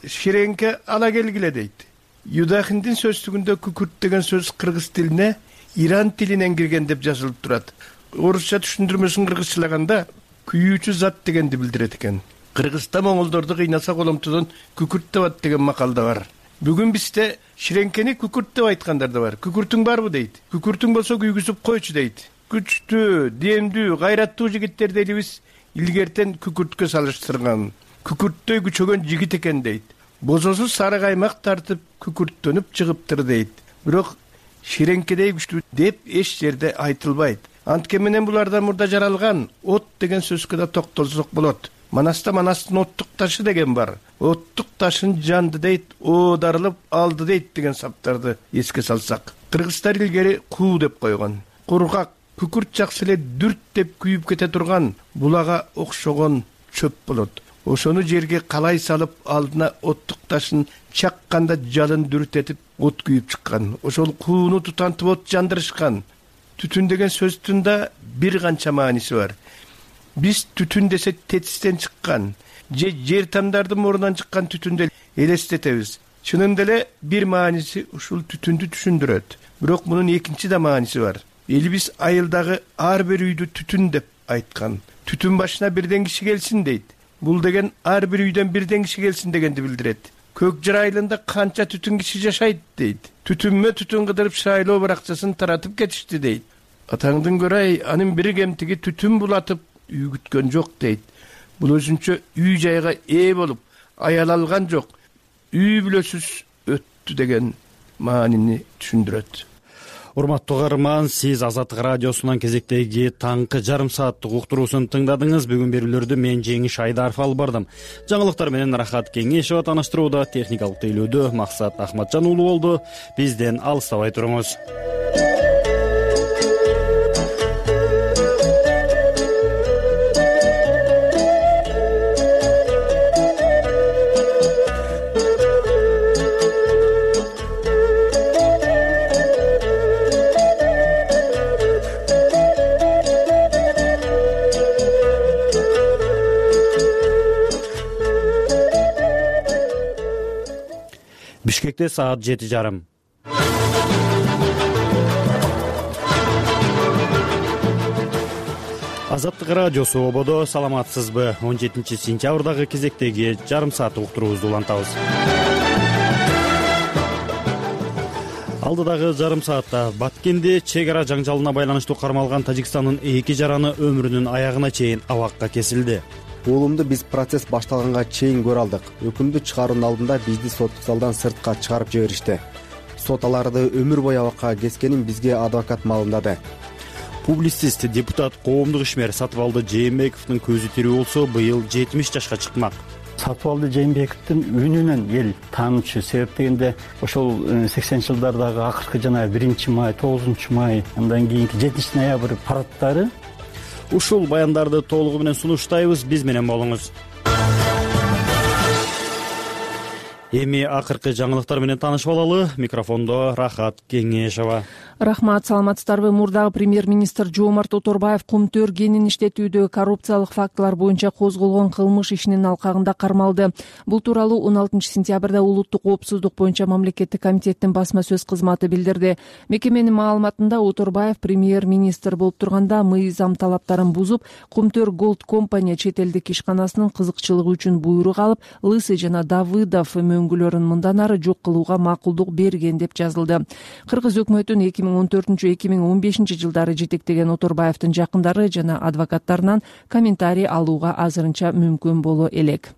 Speaker 20: ширеңке ала келгиле дейт. Юдахиндин сөздүгүндө күкүрт деген сөз кыргыз тилине Иран тилинен кирген деп жазылып турат. Орусча түшүндүрмөсүн кыргызчалаганда күйүүчү зат дегенди билдирет экен. Кыргызда моңолдорду кыйнаса коломтодон күкүрт табат деген макал да бар. Бүгүн бизде ширеңкени күкүрт деп айткандар да бар. Күкүртүң барбы дейт. Күкүртүң болсо күйгүзүп койчу дейт. Күчтүү, демдүү, гайраттуу жигиттерди элибиз илгертен күкүрткө салыштырган. Күкүрттөй күчөгөн жигит экен дейт. Бозосу сары каймак тартып күкүрттөнүп чыгыптыр дейт. Бирок ширеңкедей күчтүү деп эч жерде айтылбайт. Антке менен булардан мурда жаралган от деген сөзгө да токтолсок болот. Манаста манастын оттук ташы деген бар. Оттук ташын жанды дейт, оодарылып алды дейт деген саптарды эске салсак. Кыргыздар илгери куу деп койгон. Кургак, күкүрт жакшы эле дүрт деп күйүп кете турган булага окшогон чөп болот. Ошону жерге калай салып алдына оттук ташын чакканда жалын дүртетип от күйүп чыккан. Ошол кууну тутантып от жандырышкан. Түтүн деген сөздүн да бир канча мааниси бар. Биз түтүн десе тетистен чыккан, же жер тамдардын мурунан чыккан түтүндү элестетебиз. Чынында эле бир мааниси ушул түтүндү түшүндүрөт. Бирок мунун экинчи да мааниси бар. Элибиз айылдагы ар бир үйдү түтүн деп айткан. Түтүн башына бирден киши келсин дейт. Бул деген ар бир үйдөн бирден киши келсин дегенди билдирет. Көк жыр айылында канча түтүн киши жашайт дейт. Түтүнмө түтүн кыдырып шайлоо баракчасын таратып кетишти дейт. атаңдын көрөй анын бири кемтиги түтүн булатып үй күткөн жок дейт. Бул өзүнчө үй жайга ээ болуп аял алган жок, үй бүлөсүз өттү деген маанини түшүндүрөт.
Speaker 2: Урматтуу каарман, сиз Азаттык радиосунан кезектеги таңкы жарым сааттык уктуруусун тыңдадыңыз. Бүгүн берүүлөрдү мен Жеңиш Айдаров алып бардым. Жаңылыктар менен Рахат Кеңешова таныштырууда, техникалык тейлөөдө Максат Ахматжан уулу болду. Бизден алыстабай туруңуз. Бишкекте саат 7:30. Азаттык радиосу ободо, саламатсызбы? 17-сентябрдагы кезектеги жарым сааттык уктуруубузду улантабыз. Алдыдагы жарым саатта Баткенде чек ара жаңжалына байланыштуу кармалган Тажикстандын 2 жараны өмүрүнүн аягына чейин абакка кесилди.
Speaker 15: Уулумду биз процесс башталганга чейин көрө алдык. Өкүмдү чыгаруунун алдында бизди соттук залдан сыртка чыгарып жиберишти. Сот аларды өмүр бою абакка кескенин бизге адвокат маалымдады.
Speaker 2: Публицист, депутат, коомдук ишмер Сатыбалды Жээнбековдун көзү тирүү болсо, быйыл 70 жашка чыкмак.
Speaker 4: Сатыбалды Жээнбековдун үнүнөн эл таанычу. Себеп дегенде ошол 80-жылдардагы акыркы жана 1-май, 9-май, андан кийинки 7-ноябрь парадтары.
Speaker 2: Ушул баяндарды толугу менен сунуштайбыз, биз менен болуңуз. Эми акыркы жаңылыктар менен таанышып алалы. Микрофондо Рахат Кеңешова.
Speaker 5: Рахмат, саламатсыздарбы? Мурдагы премьер-министр Жоомарт Оторбаев кумтөр кенин иштетүүдө коррупциялык фактылар боюнча козголгон кылмыш ишинин алкагында кармалды. Бул тууралуу 16-сентябрда улуттук коопсуздук боюнча мамлекеттик комитеттин басма сөз кызматы билдирди. Мекеменин маалыматында Оторбаев премьер-министр болуп турганда мыйзам талаптарын бузуп, Кумтөр Голд компания чет элдик ишканасынын кызыкчылыгы үчүн буйрук алып, Лысый жана Давыдов мөңгүлөрүн мындан ары жок кылууга макулдук берген деп жазылды. Кыргыз өкмөтүн 2014-2015 жылдары жетектеген Оторбаевдин жакындары жана адвокаттарынан комментарий алууга азырынча мүмкүн боло элек.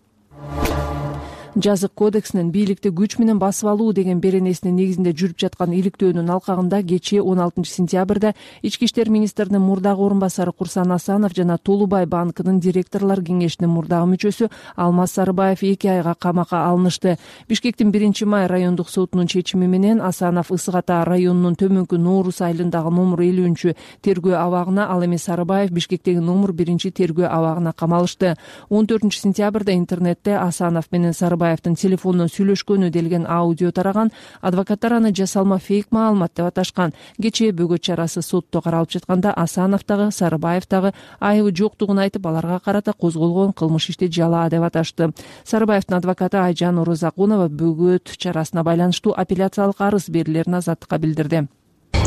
Speaker 5: Жазык кодексинин бийликти күч менен басып алуу деген беренесинин негизинде жүрүп жаткан иликтөөнүн алкагында кечээ 16-сентябрда Ички иштер министринин мурдагы орун басары Курсан Асанов жана Толубай банкынын директорлор кеңешинин мурдагы мүчөсү Алмаз Сарыбаев 2 айга камакка алынышты. Бишкектин 1-май райондук сотунун чечими менен Асанов Ысык Ата районунун Төмөнкү Нооруз айылындагы номер 50 тергөө абагына, ал эми Сарыбаев Бишкектеги номер 1 тергөө абагына камалышты. 14-сентябрда интернетте Асанов менен Сарыбаевдин телефондон сүйлөшкөнү делген аудио тараган. Адвокаттар аны жасалма фейк маалымат деп аташкан. Кечээ бөгөт чарасы сотто каралып жатканда Асанов дагы, Сарыбаев дагы айыбы жоктугун айтып, аларга карата козголгон кылмыш ишти жалаа деп аташты. Сарыбаевдин адвокаты Айжан Орозакунова бөгөт чарасына байланыштуу апелляциялык арыз берилерин Азаттыкка билдирди.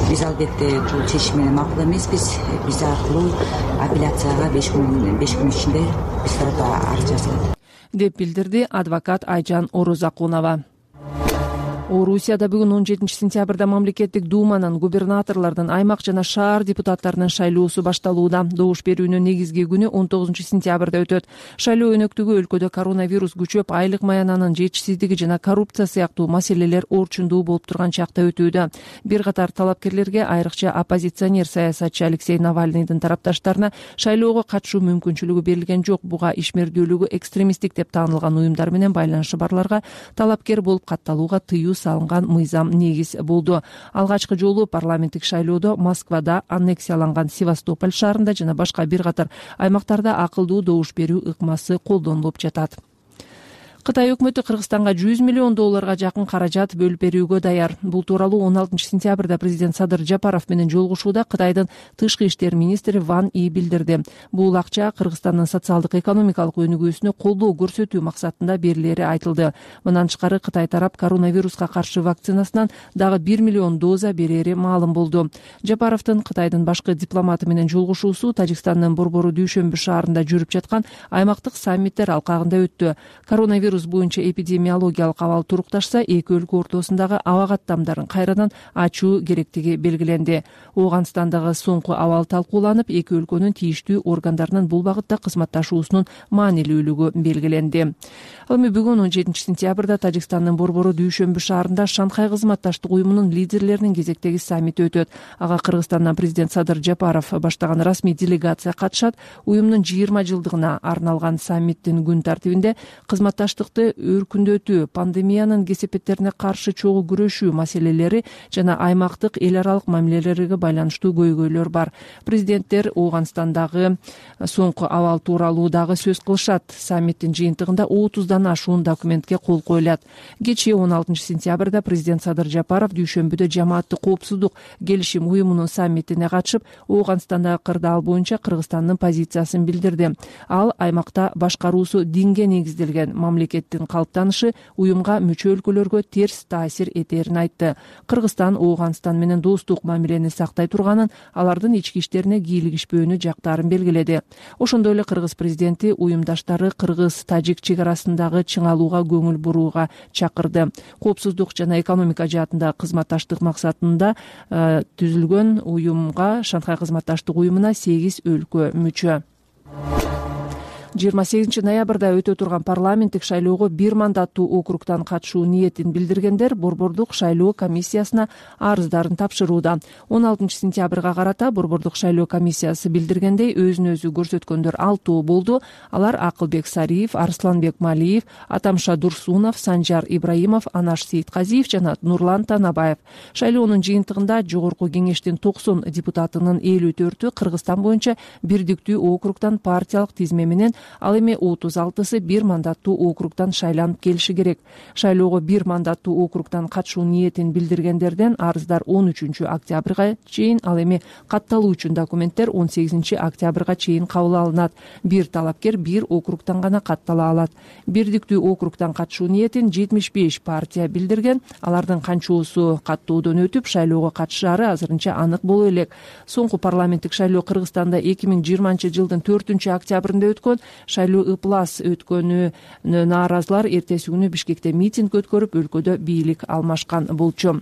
Speaker 9: Биз албетте бул чечим менен макул эмеспиз. Биз аркылуу апелляцияга 5 күн ичинде биз тарапка арыз жазылат
Speaker 5: деп билдирди адвокат Айжан Орозакунова. Орусияда бүгүн 17-сентябрда мамлекеттик думанын, губернаторлордун, аймак жана шаар депутаттарынын шайлоосу башталууда. Добуш берүүнүн негизги күнү 19-сентябрда өтөт. Шайлоо өнөктүгү өлкөдө коронавирус күчөп, айлык маянанын жетишсиздиги жана коррупция сыяктуу маселелер орчундуу болуп турган чакта өтүүдө. Бир катар талапкерлерге, айрыкча оппозиционер саясатчы Алексей Навальныйдын тарапташтарына шайлоого катышуу мүмкүнчүлүгү берилген жок. Буга ишмердүүлүгү экстремисттик деп таанылган уюмдар менен байланышы барларга талапкер болуп катталууга тыюу салынган мыйзам негиз болду. Алгачкы жолу парламенттик шайлоодо Москвада, аннексияланган Севастополь шаарында жана башка бир катар аймактарда акылдуу добуш берүү ыкмасы колдонулуп жатат. Кытай өкмөтү Кыргызстанга $100 миллион жакын каражат бөлүп берүүгө даяр. Бул тууралуу 16-сентябрда президент Садыр Жапаров менен жолугушууда Кытайдын тышкы иштер министри Ван И билдирди. Бул акча Кыргызстандын социалдык экономикалык өнүгүүсүнө колдоо көрсөтүү максатында берилери айтылды. Мындан тышкары Кытай тарап коронавируска каршы вакцинасынан дагы 1 миллион доза берери маалым болду. Жапаровдун Кытайдын башкы дипломаты менен жолугушуусу Тажикстандын Борбору Дүйшөмбү шаарында жүрүп жаткан аймактык саммиттер алкагында өттү. Коронавирус коронавирус боюнча эпидемиологиялык абал турукташса, эки өлкө ортосундагы аба каттамдарын кайрадан ачуу керектиги белгиленди. Ооганстандагы соңку абал талкууланып, эки өлкөнүн тийиштүү органдарынын бул багытта кызматташуусунун маанилүүлүгү белгиленди. Ал эми бүгүн 17-сентябрда Тажикстандын борбору Дүйшөмбү шаарында Шанхай кызматташтык уюмунун лидерлеринин кезектеги саммити өтөт. Ага Кыргызстандан президент Садыр Жапаров баштаган расмий делегация катышат. Уюмдун 20 жылдыгына арналган саммиттин күн тартибинде кызматташтыкты өркүндөтүү, пандемиянын кесепеттерине каршы чогуу күрөшүү маселелери жана аймактык эл аралык мамилелерге байланыштуу көйгөйлөр бар. Президенттер Ооганстандагы соңку абал тууралуу дагы сөз кылышат. Саммиттин жыйынтыгында 30дан ашуун документке кол коюлат. Кечээ 16-сентябрда президент Садыр Жапаров Дүйшөмбүдө жамааттык коопсуздук келишим уюмунун саммитине катышып, Ооганстандагы кырдаал боюнча Кыргызстандын позициясын билдирди. Ал аймакта башкаруусу динге негизделген мамлекеттин калыптанышы уюмга мүчө өлкөлөргө терс таасир этерин айтты. Кыргызстан Ооганстан менен достук мамилени сактай турганын, алардын ички иштерине кийлигишпөөнү жактарын белгиледи. Ошондой эле кыргыз президенти уюмдаштары кыргыз-тажик чек арасындагы чыңалууга көңүл бурууга чакырды. Коопсуздук жана экономика жаатында кызматташтык максатында түзүлгөн уюмга, Шанхай кызматташтык уюмуна 8 өлкө мүчө. 28 ноябрда өтө турган парламенттик шайлоого бир мандаттуу округтан катышуу ниетин билдиргендер борбордук шайлоо комиссиясына арыздарын тапшырууда. 16 сентябрга карата борбордук шайлоо комиссиясы билдиргендей, өзүн өзү көрсөткөндөр 6 болду. Алар Акылбек Сариев, Арсланбек Малиев, Атамша Дурсунов, Санжар Ибраимов, Анаш Сейитказиев жана Нурлан Танабаев. Шайлоонун жыйынтыгында жогорку кеңештин 90 депутатынын 54-ü Кыргызстан боюнча бирдиктүү округтан партиялык тизме менен, ал эми 36-сы бир мандаттуу округтан шайланып келиши керек. Шайлоого бир мандаттуу округтан катышуу ниетин билдиргендерден арыздар 13 октябрга чейин, ал эми катталуу үчүн документтер 18 октябрга чейин кабыл алынат. Бир талапкер бир округтан гана каттала алат. Бирдиктүү округтан катышуу ниетин 75 партия билдирген. Алардын канчоосу каттоодон өтүп, шайлоого катышаары азырынча анык боло элек. Соңку парламенттик шайлоо Кыргызстанда 2020-жылдын 4-октябрында өткөн. Шайлоо ыплас өткөнү нааразылар эртеси күнү Бишкекте митинг өткөрүп, өлкөдө бийлик алмашкан болчу.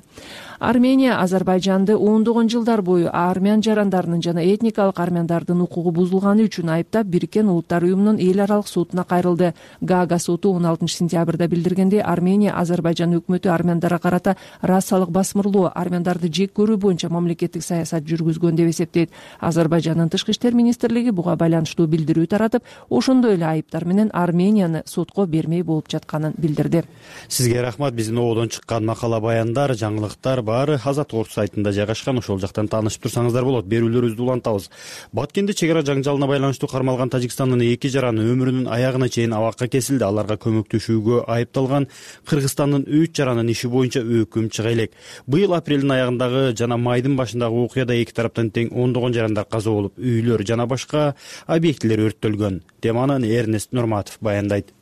Speaker 5: Армения Азербайжанды ондогон жылдар бою армян жарандарынын жана этникалык армяндардын укугу бузулганы үчүн айыптап, Бириккен Улуттар уюмунун эл аралык сотуна кайрылды. Гаага соту 16 сентябрда билдиргендей, Армения Азербайжан өкмөтү армяндарга карата расалык басмырлоо, армяндарды жек көрүү боюнча мамлекеттик саясат жүргүзгөн деп эсептейт. Азербайжандын тышкы иштер министрлиги буга байланыштуу билдирүү таратып, ошондой эле айыптар менен Арменияны сотко бермей болуп жатканын билдирди.
Speaker 2: Сизге рахмат. Биздин ободон чыккан макала, баяндар, жаңылыктар баары Азат Орус сайтында жайгашкан. Ошол жактан таанышып турсаңыздар болот. Берүүлөрүбүздү улантабыз. Баткенде чек ара жаңжалына байланыштуу кармалган Тажикстандын 2 жараны өмүрүнүн аягына чейин абакка кесилди. Аларга көмөктөшүүгө айыпталган Кыргызстандын 3 жаранын иши боюнча өкүм чыга элек. Быйыл апрелдин аягындагы жана майдын башындагы окуяда эки тараптан тең 10 жарандар каза болуп, үйлөр жана башка объектилер өрттөлгөн. Теманы Эрнест Нурматов баяндайт.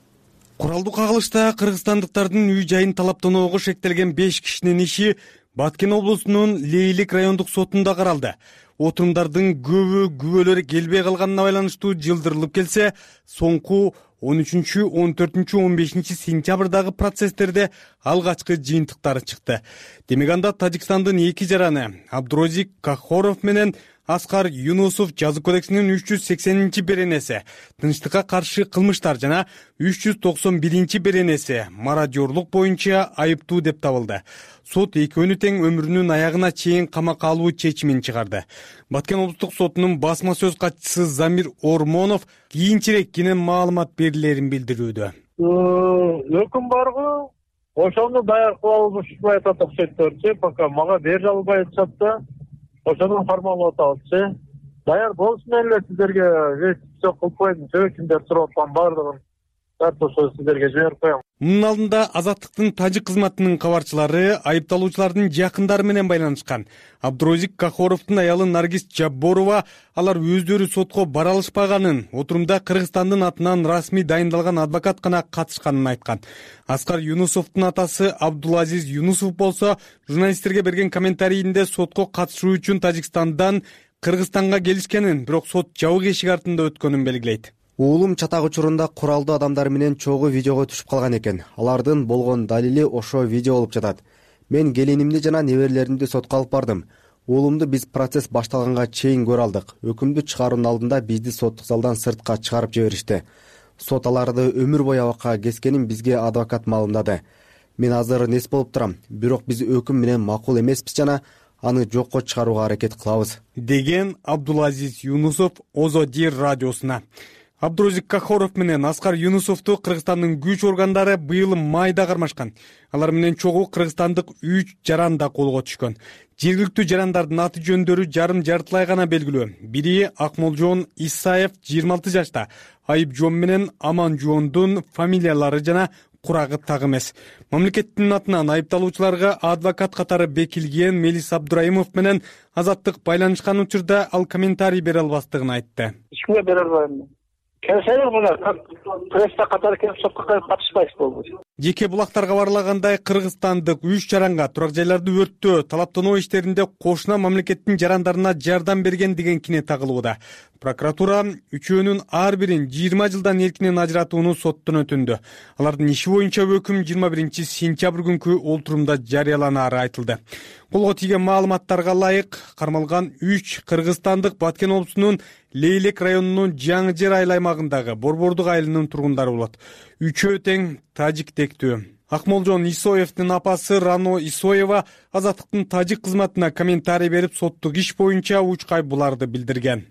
Speaker 10: Куралдуу кагылышта кыргызстандыктардын үй жайын талаптоого шектелген 5 кишинин иши Баткен облусунун Лейлик райондук сотунда каралды. Отурумдардын көбү күбөлөр келбей калганына байланыштуу жылдырылып келсе, соңку 13, 14, 15 сентябрдагы процесстерде алгачкы жыйынтыктары чыкты. Демек анда Тажикстандын 2 жараны Абдурозик Кахоров менен Аскар Юнусов жаза кодексинин 380 беренеси тынчтыкка каршы кылмыштар жана 391 беренеси мародёрлук боюнча айыптуу деп табылды. Сот экөөнү тең өмүрүнүн аягына чейин камакка алуу чечимин чыгарды. Баткен облустук сотунун басма сөз катчысы Замир Ормонов кийинчерээк кенен маалымат берилерин билдирүүдө.
Speaker 11: Өкүм баргы, ошону даяр кыла алышпай атат окшойт, пока мага бере албай атышат. Ошону формалдап атабыз. Даяр болсун эле сиздерге все кылып коем. Кимдер сурап аткан баардыгын ошо сиздерге жиберип коем.
Speaker 10: Мунун алдында Азаттыктын тажик кызматынын кабарчылары айыпталуучулардын жакындары менен байланышкан. Абдурозик Кахоровдун аялы Наргиз Жабборова алар өздөрү сотко бара алышпаганын, отурумда Кыргызстандын атынан расмий дайындалган адвокат гана катышканын айткан. Аскар Юнусовдун атасы Абдулазиз Юнусов болсо журналисттерге берген комментарийинде сотко катышуу үчүн Тажикстандан Кыргызстанга келишкенин, бирок сот жабык эшик артында өткөнүн белгилейт.
Speaker 15: Уулум чатак учурунда куралдуу адамдар менен чогуу видеого түшүп калган экен. Алардын болгон далили ошо видео болуп жатат. Мен келинимди жана неберелеримди сотко алып бардым. Уулумду биз процесс башталганга чейин көрө алдык. Өкүмдү чыгаруунун алдында бизди соттук залдан сыртка чыгарып жиберишти. Сот аларды өмүр бою абакка кескенин бизге адвокат маалымдады. Мен азыр нес болуп турам, бирок биз өкүм менен макул эмеспиз жана аны жокко чыгарууга аракет кылабыз,
Speaker 10: деген Абдулазиз Юнусов Озодир радиосуна. Абдурозик Кахоров менен Аскар Юнусовду Кыргызстандын күч органдары быйыл майда кармашкан. Алар менен чогуу кыргызстандык 3 жаран да колго түшкөн. Жергиликтүү жарандардын аты жөндөрү жарым-жартылай гана белгилүү. Бири Акмолжон Исаев 26 жашта, Айыпжон менен Аманжондун фамилиялары жана курагы так эмес. Мамлекеттин атынан айыпталуучуларга адвокат катары бекилген Мелис Абдурайымов менен Азаттык байланышкан учурда ал комментарий бере албастыгын айтты.
Speaker 11: Эч кимге бере албайм. Келсеңер мына пресса катары келип сотко катышпайсыз болду.
Speaker 10: Жеке булактар кабарлагандай, кыргызстандык 3 жаранга турак жайларды өрттөө, талаптануу иштеринде кошуна мамлекеттин жарандарына жардам берген деген кине тагылууда. Прокуратура үчөөнүн ар бирин 20 жылдан эркинен ажыратууну соттон өтүндү. Алардын иши боюнча өкүм 21 сентябрь күнкү олтурумда жарыяланары айтылды. Колго тийген маалыматтарга ылайык кармалган 3 кыргызстандык Баткен облусунун Лейлек районунун Жаңы Жер айыл аймагындагы Борбордук айылынын тургундары болот. Үчөө тең тажиктектүү. Акмолжон Исоевдин апасы Рано Исоева Азаттыктын тажик кызматына комментарий берип, соттук иш боюнча учкай буларды билдирген.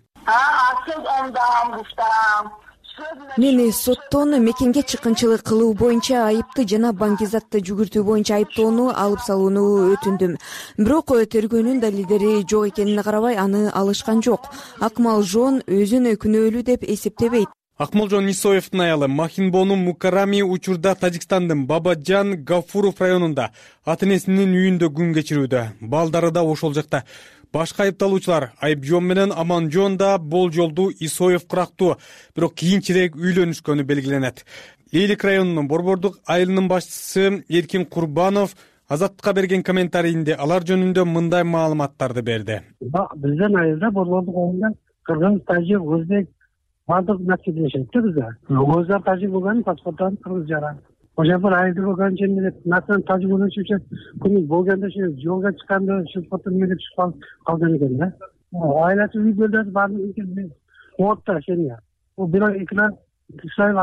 Speaker 12: Мени соттон мекенге чыккынчылык кылуу боюнча айыпты жана баңгизатты жүгүртүү боюнча айыптоону алып салууну өтүндүм. Бирок тергөөнүн далилдери жок экенине карабай аны алышкан жок. Акмалжон өзүн күнөөлүү деп эсептебейт.
Speaker 10: Акмолжон Исоевдин аялы Махинбону Мукарами учурда Тажикстандын Бабаджан Гафуров районунда ата-энесинин үйүндө күн кечирүүдө. Балдары да ошол жакта. Башка айыпталуучулар Айыпжон менен Аманжон да болжолду Исоев курактуу, бирок кийинчерээк үйлөнүшкөнү белгиленет. Лейлек районунун Борбордук айылынын башчысы Эркин Курбанов Азаттыкка берген комментарийинде алар жөнүндө мындай маалыматтарды берди.
Speaker 13: Биздин айылда Борбордук айылында кыргыз, тажик, өзбек бардык нәрсе жашайт да бизде. Өздөр тажик болгон паспорттары кыргыз жаран. Ошо бир айылда болгон жерде насын тажик болушучу күнү болгондо ошо жолго чыкканда ошо фото менен чыгып калган экен да. Айласы үйгөлдөр баардыгы отто шеня. О бирок экран Исаев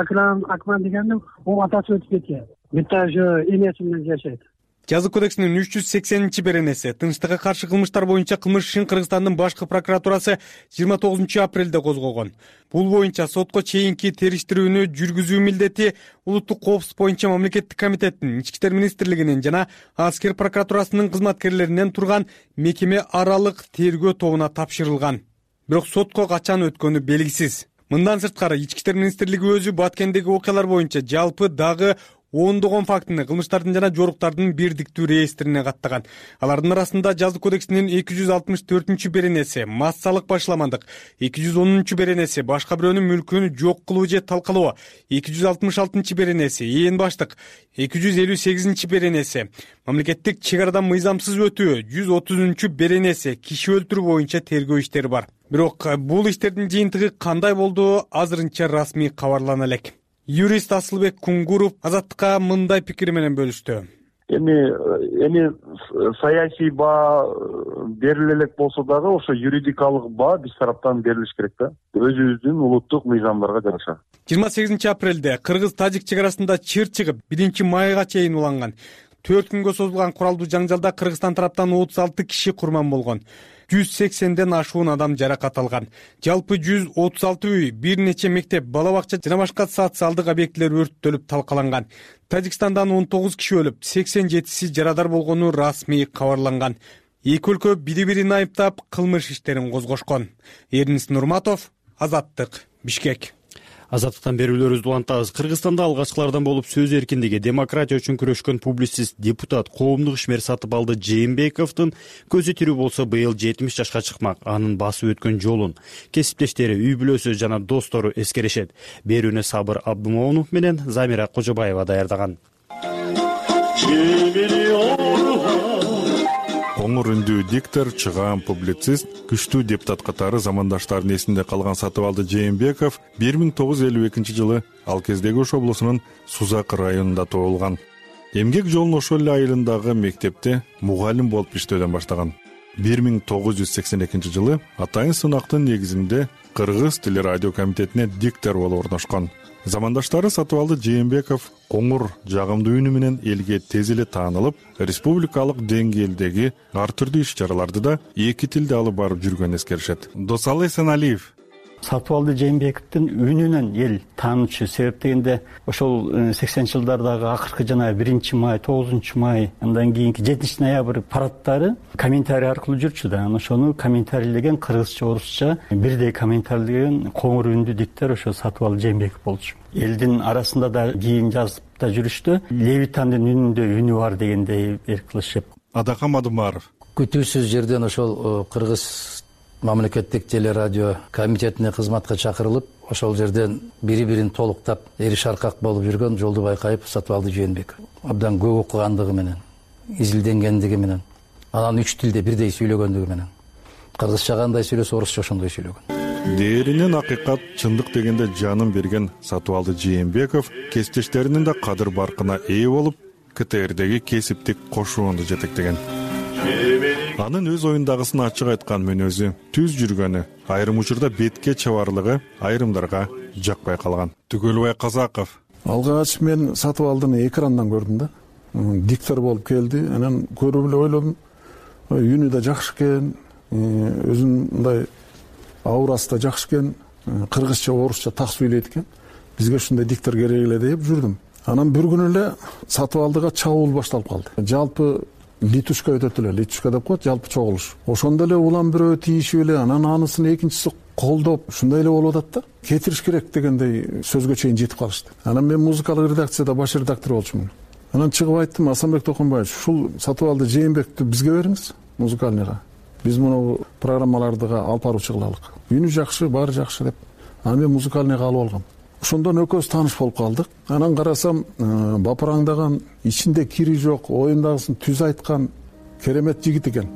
Speaker 13: Акман дегенде о атасы өтүп кеткен. Битта ошо энеси менен жашайт.
Speaker 10: Жазык кодексинин 380 беренеси тынчтыкка каршы кылмыштар боюнча кылмыш ишин Кыргызстандын башкы прокуратурасы 29 апрелде козгогон. Бул боюнча сотко чейинки териштирүүнү жүргүзүү милдети улуттук коопсуздук боюнча мамлекеттик комитеттин, Ички иштер министрлигинин жана аскер прокуратурасынын кызматкерлеринен турган мекеме аралык тергөө тобуна тапшырылган. Бирок сотко качан өткөнү белгисиз. Мындан сырткары Ички иштер министрлиги өзү Баткендеги окуялар боюнча жалпы дагы ондогон фактыны кылмыштардын жана жоруктардын бирдиктүү реестрине каттаган. Алардын арасында Жазык кодексинин 264 беренеси массалык башламандык, 210 беренеси башка бирөөнүн мүлкүн жок кылуу же талкалоо, 266 беренеси ээн баштык, 258 беренеси мамлекеттик чек арадан мыйзамсыз өтүү, 130 беренеси киши өлтүрүү боюнча тергөө иштери бар. Бирок бул иштердин жыйынтыгы кандай болду азырынча расмий кабарлана элек. Юрист Асылбек Кунгуров Азаттыкка мындай пикири менен бөлүштү.
Speaker 14: Эми саясий баа бериле элек болсо дагы ошо юридикалык баа биз тараптан берилиш керек да. Өзүбүздүн улуттук мыйзамдарга жараша.
Speaker 10: 28 апрелде Кыргыз-Тажик чек арасында чыр чыгып 1 майга чейин уланган. 4 күнгө созулган куралдуу жаңжалда Кыргызстан тараптан 36 киши курман болгон. 180ден ашуун адам жаракат алган. Жалпы 136 үй, бир нече мектеп, бала бакча жана башка социалдык объектилер өрттөлүп талкаланган. Тажикстандан 19 киши өлүп, 87си жарадар болгону расмий кабарланган. Эки өлкө бири-бирин айыптап кылмыш иштерин козгошкон. Эрнис Нурматов, Азаттык, Бишкек.
Speaker 2: Азаттыктан берүүлөрүбүздү улантабыз. Кыргызстанда алгачкылардан болуп сөз эркиндиги, демократия үчүн күрөшкөн публицист, депутат, коомдук ишмер Сатыбалды Жээнбековдун көзү тирүү болсо быйыл 70 жашка чыкмак. Анын басып өткөн жолун кесиптештери, үй бүлөсү жана достору эскеришет. Берүүнү Сабыр Абдымоунов менен Замира Кожобаева даярдаган.
Speaker 1: коңур үндүү диктор, чыгаан публицист, күчтүү депутат катары замандаштарынын эсинде калган Сатыбалды Жээнбеков 1952 жылы ал кездеги Ош облусунун Сузакы районунда туулган. Эмгек жолун ошол эле айылындагы мектепте мугалим болуп иштөөдөн баштаган. 1982 жылы атайын сынактын негизинде Кыргыз телерадио комитетине диктор болуп орношкон. Замандаштары Сатыбалды Жээнбеков коңур, жагымдуу үнү менен элге тез эле таанылып, республикалык деңгээлдеги ар түрдүү иш-чараларды да эки тилде алып барып жүргөнүн эскеришет. Досалы Эсеналиев
Speaker 4: Сатыбалды Жээнбековдун үнүнөн эл таанычу. Себеп дегенде ошол 80 жылдардагы акыркы жана 1-май, 9-май, андан кийинки 7-ноябрь парадтары комментарий аркылуу жүрчү да. Ошону комментарийлеген кыргызча, орусча бирдей комментарийлеген коңур үндүү диктор ошо Сатыбалды Жээнбеков болчу. Элдин арасында да кийин жазып да жүрүштү. Левитандын үнүндө үнү бар дегендей эркилешип.
Speaker 1: Адакам Адымаров
Speaker 8: күтүүсүз жерден ошол кыргыз мамлекеттик телерадио комитетине кызматка чакырылып, ошол жерден бири-бирин толуктап, эри шаркак болуп жүргөн Жолдубай Кайыпов Сатыбалды Жээнбеков. Абдан көп окугандыгы менен, изилденгендиги менен, анан 3 тилде бирдей сүйлөгөндүгү менен. Кыргызча кандай сүйлөсө, орусча ошондой сүйлөгөн.
Speaker 1: Дээринен акыйкат, чындык дегенде жанын берген Сатыбалды Жээнбеков кесиптештеринин да кадыр баркына ээ болуп, КТРдеги кесиптик кошуунду жетектеген. Анын өз оюндагысын ачык айткан мүнөзү, түз жүргөнү, айрым учурда бетке чабарлыгы айрымдарга жакпай калган. Түгөлбай Казаков
Speaker 16: алгач мен Сатыбалдыны экрандан көрдүм да. Диктор болуп келди, анан көрүп эле ойлодум, үнү да жакшы экен, өзүнүн мындай аурасы да жакшы экен, кыргызча, орусча так сүйлөйт экен. Бизге ушундай диктор керек эле деп жүрдүм. Анан бир күнү эле Сатыбалдыга чабуул башталып калды. Жалпы литушка өтөт эле, литушка деп коет, жалпы чогулуш. Ошондо эле улам бирөө тийишип эле, анан анысын экинчиси колдоп, ушундай эле болуп атат да. Кетириш керек дегендей сөзгө чейин жетип калышты. Анан мен музыкалык редакцияда баш редактор болчумун. Анан чыгып айттым, Асанбек Токонбаевич, ушул Сатыбалды Жээнбековду бизге бериңиз, музыкальныйга. Биз муну программаларды алып баруучу кылалык. Үнү жакшы, баары жакшы деп. Анан мен музыкальныйга алып алгам. Ошондон экөөбүз тааныш болуп калдык. Анан карасам, бапыраңдаган, ичинде кири жок, оюндагысын түз айткан керемет жигит экен.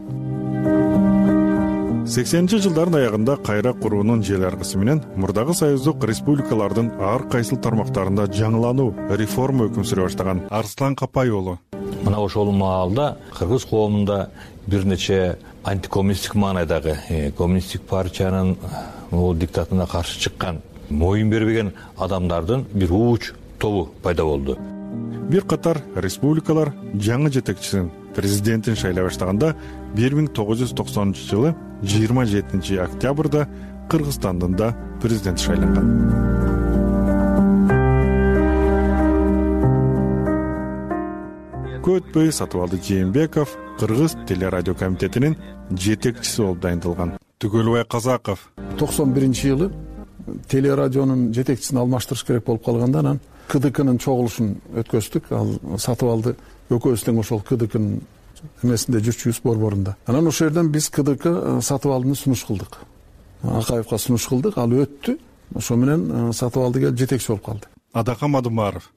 Speaker 1: 80-жылдардын аягында кайра куруунун жел аркысы менен мурдагы союздук республикалардын ар кайсыл тармактарында жаңылануу, реформа өкүм сүрө баштаган Арслан Капай уулу.
Speaker 17: Мына ошол маалда кыргыз коомунда бир нече антикоммунисттик маанайдагы коммунисттик партиянын бул диктатына каршы чыккан, моюн бербеген адамдардын бир ууч тобу пайда болду.
Speaker 1: Бир катар республикалар жаңы жетекчисин, президентин шайлай баштаганда 1990 жылы 27 октябрда Кыргызстандын да президенти шайланган. Көтпөй Сатыбалды Жээнбеков Кыргыз телерадио комитетинин жетекчиси болуп дайындалган. Түгөлбай Казаков
Speaker 16: 91-жылы телерадионун жетекчисин алмаштырыш керек болуп калганда, анан КДКнын чогулушун өткөздүк. Ал Сатыбалды экөөбүз тең ошол КДКнын эмесинде жүрчүбүз, борборунда. Анан ошол жерден биз КДК Сатыбалдыны сунуш кылдык. Акаевка сунуш кылдык, ал өттү. Ошо менен Сатыбалды келип жетекчи болуп калды.
Speaker 1: Адакам Адымаров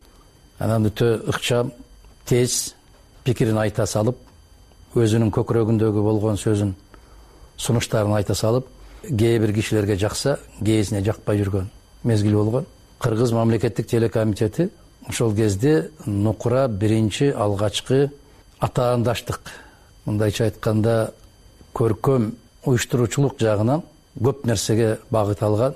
Speaker 8: анан өтө ыкчам, тез пикирин айта салып, өзүнүн көкүрөгүндөгү болгон сөзүн, сунуштарын айта салып, кээ бир кишилерге жакса, кээсине жакпай жүргөн мезгил болгон. Кыргыз мамлекеттик телекомитети ошол кезде нукура биринчи алгачкы атаандаштык, мындайча айтканда көркөм уюштуруучулук жагынан көп нерсеге багыт алган.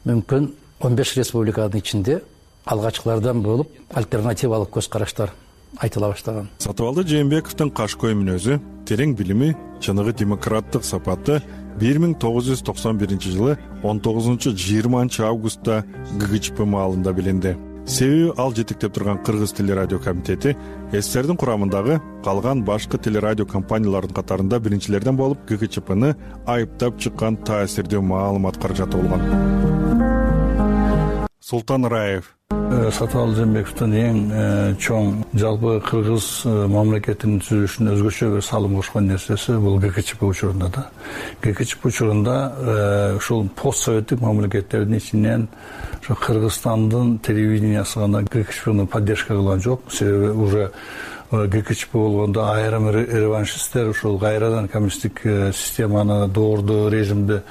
Speaker 8: Мүмкүн 15 республиканын ичинде алгачкылардан болуп альтернативалык көз караштар айтыла баштаган.
Speaker 1: Сатыбалды Жээнбековдун кашкой мүнөзү, терең билими, чыныгы демократтык сапаты 1991 жылы 19-20 августта ГГЧП маалында билинди. Себеби ал жетектеп турган Кыргыз телерадио комитети СССРдин курамындагы калган башкы телерадио компаниялардын катарында биринчилерден болуп ГГЧПны айыптап чыккан таасирдүү маалымат каражаты болгон. Султан Раев
Speaker 18: Сатыбалды Жээнбековдун эң чоң жалпы кыргыз мамлекетинин түзүлүшүнө өзгөчө бир салым кошкон нерсеси бул ГКЧП учурунда да. ГКЧП учурунда ушул пост советтик мамлекеттердин ичинен Кыргызстандын телевидениясы гана ГКЧПны поддержка кылган жок. Себеби уже ГКЧП болгондо айрым реваншисттер ушул кайрадан коммунисттик системаны доордуу режимди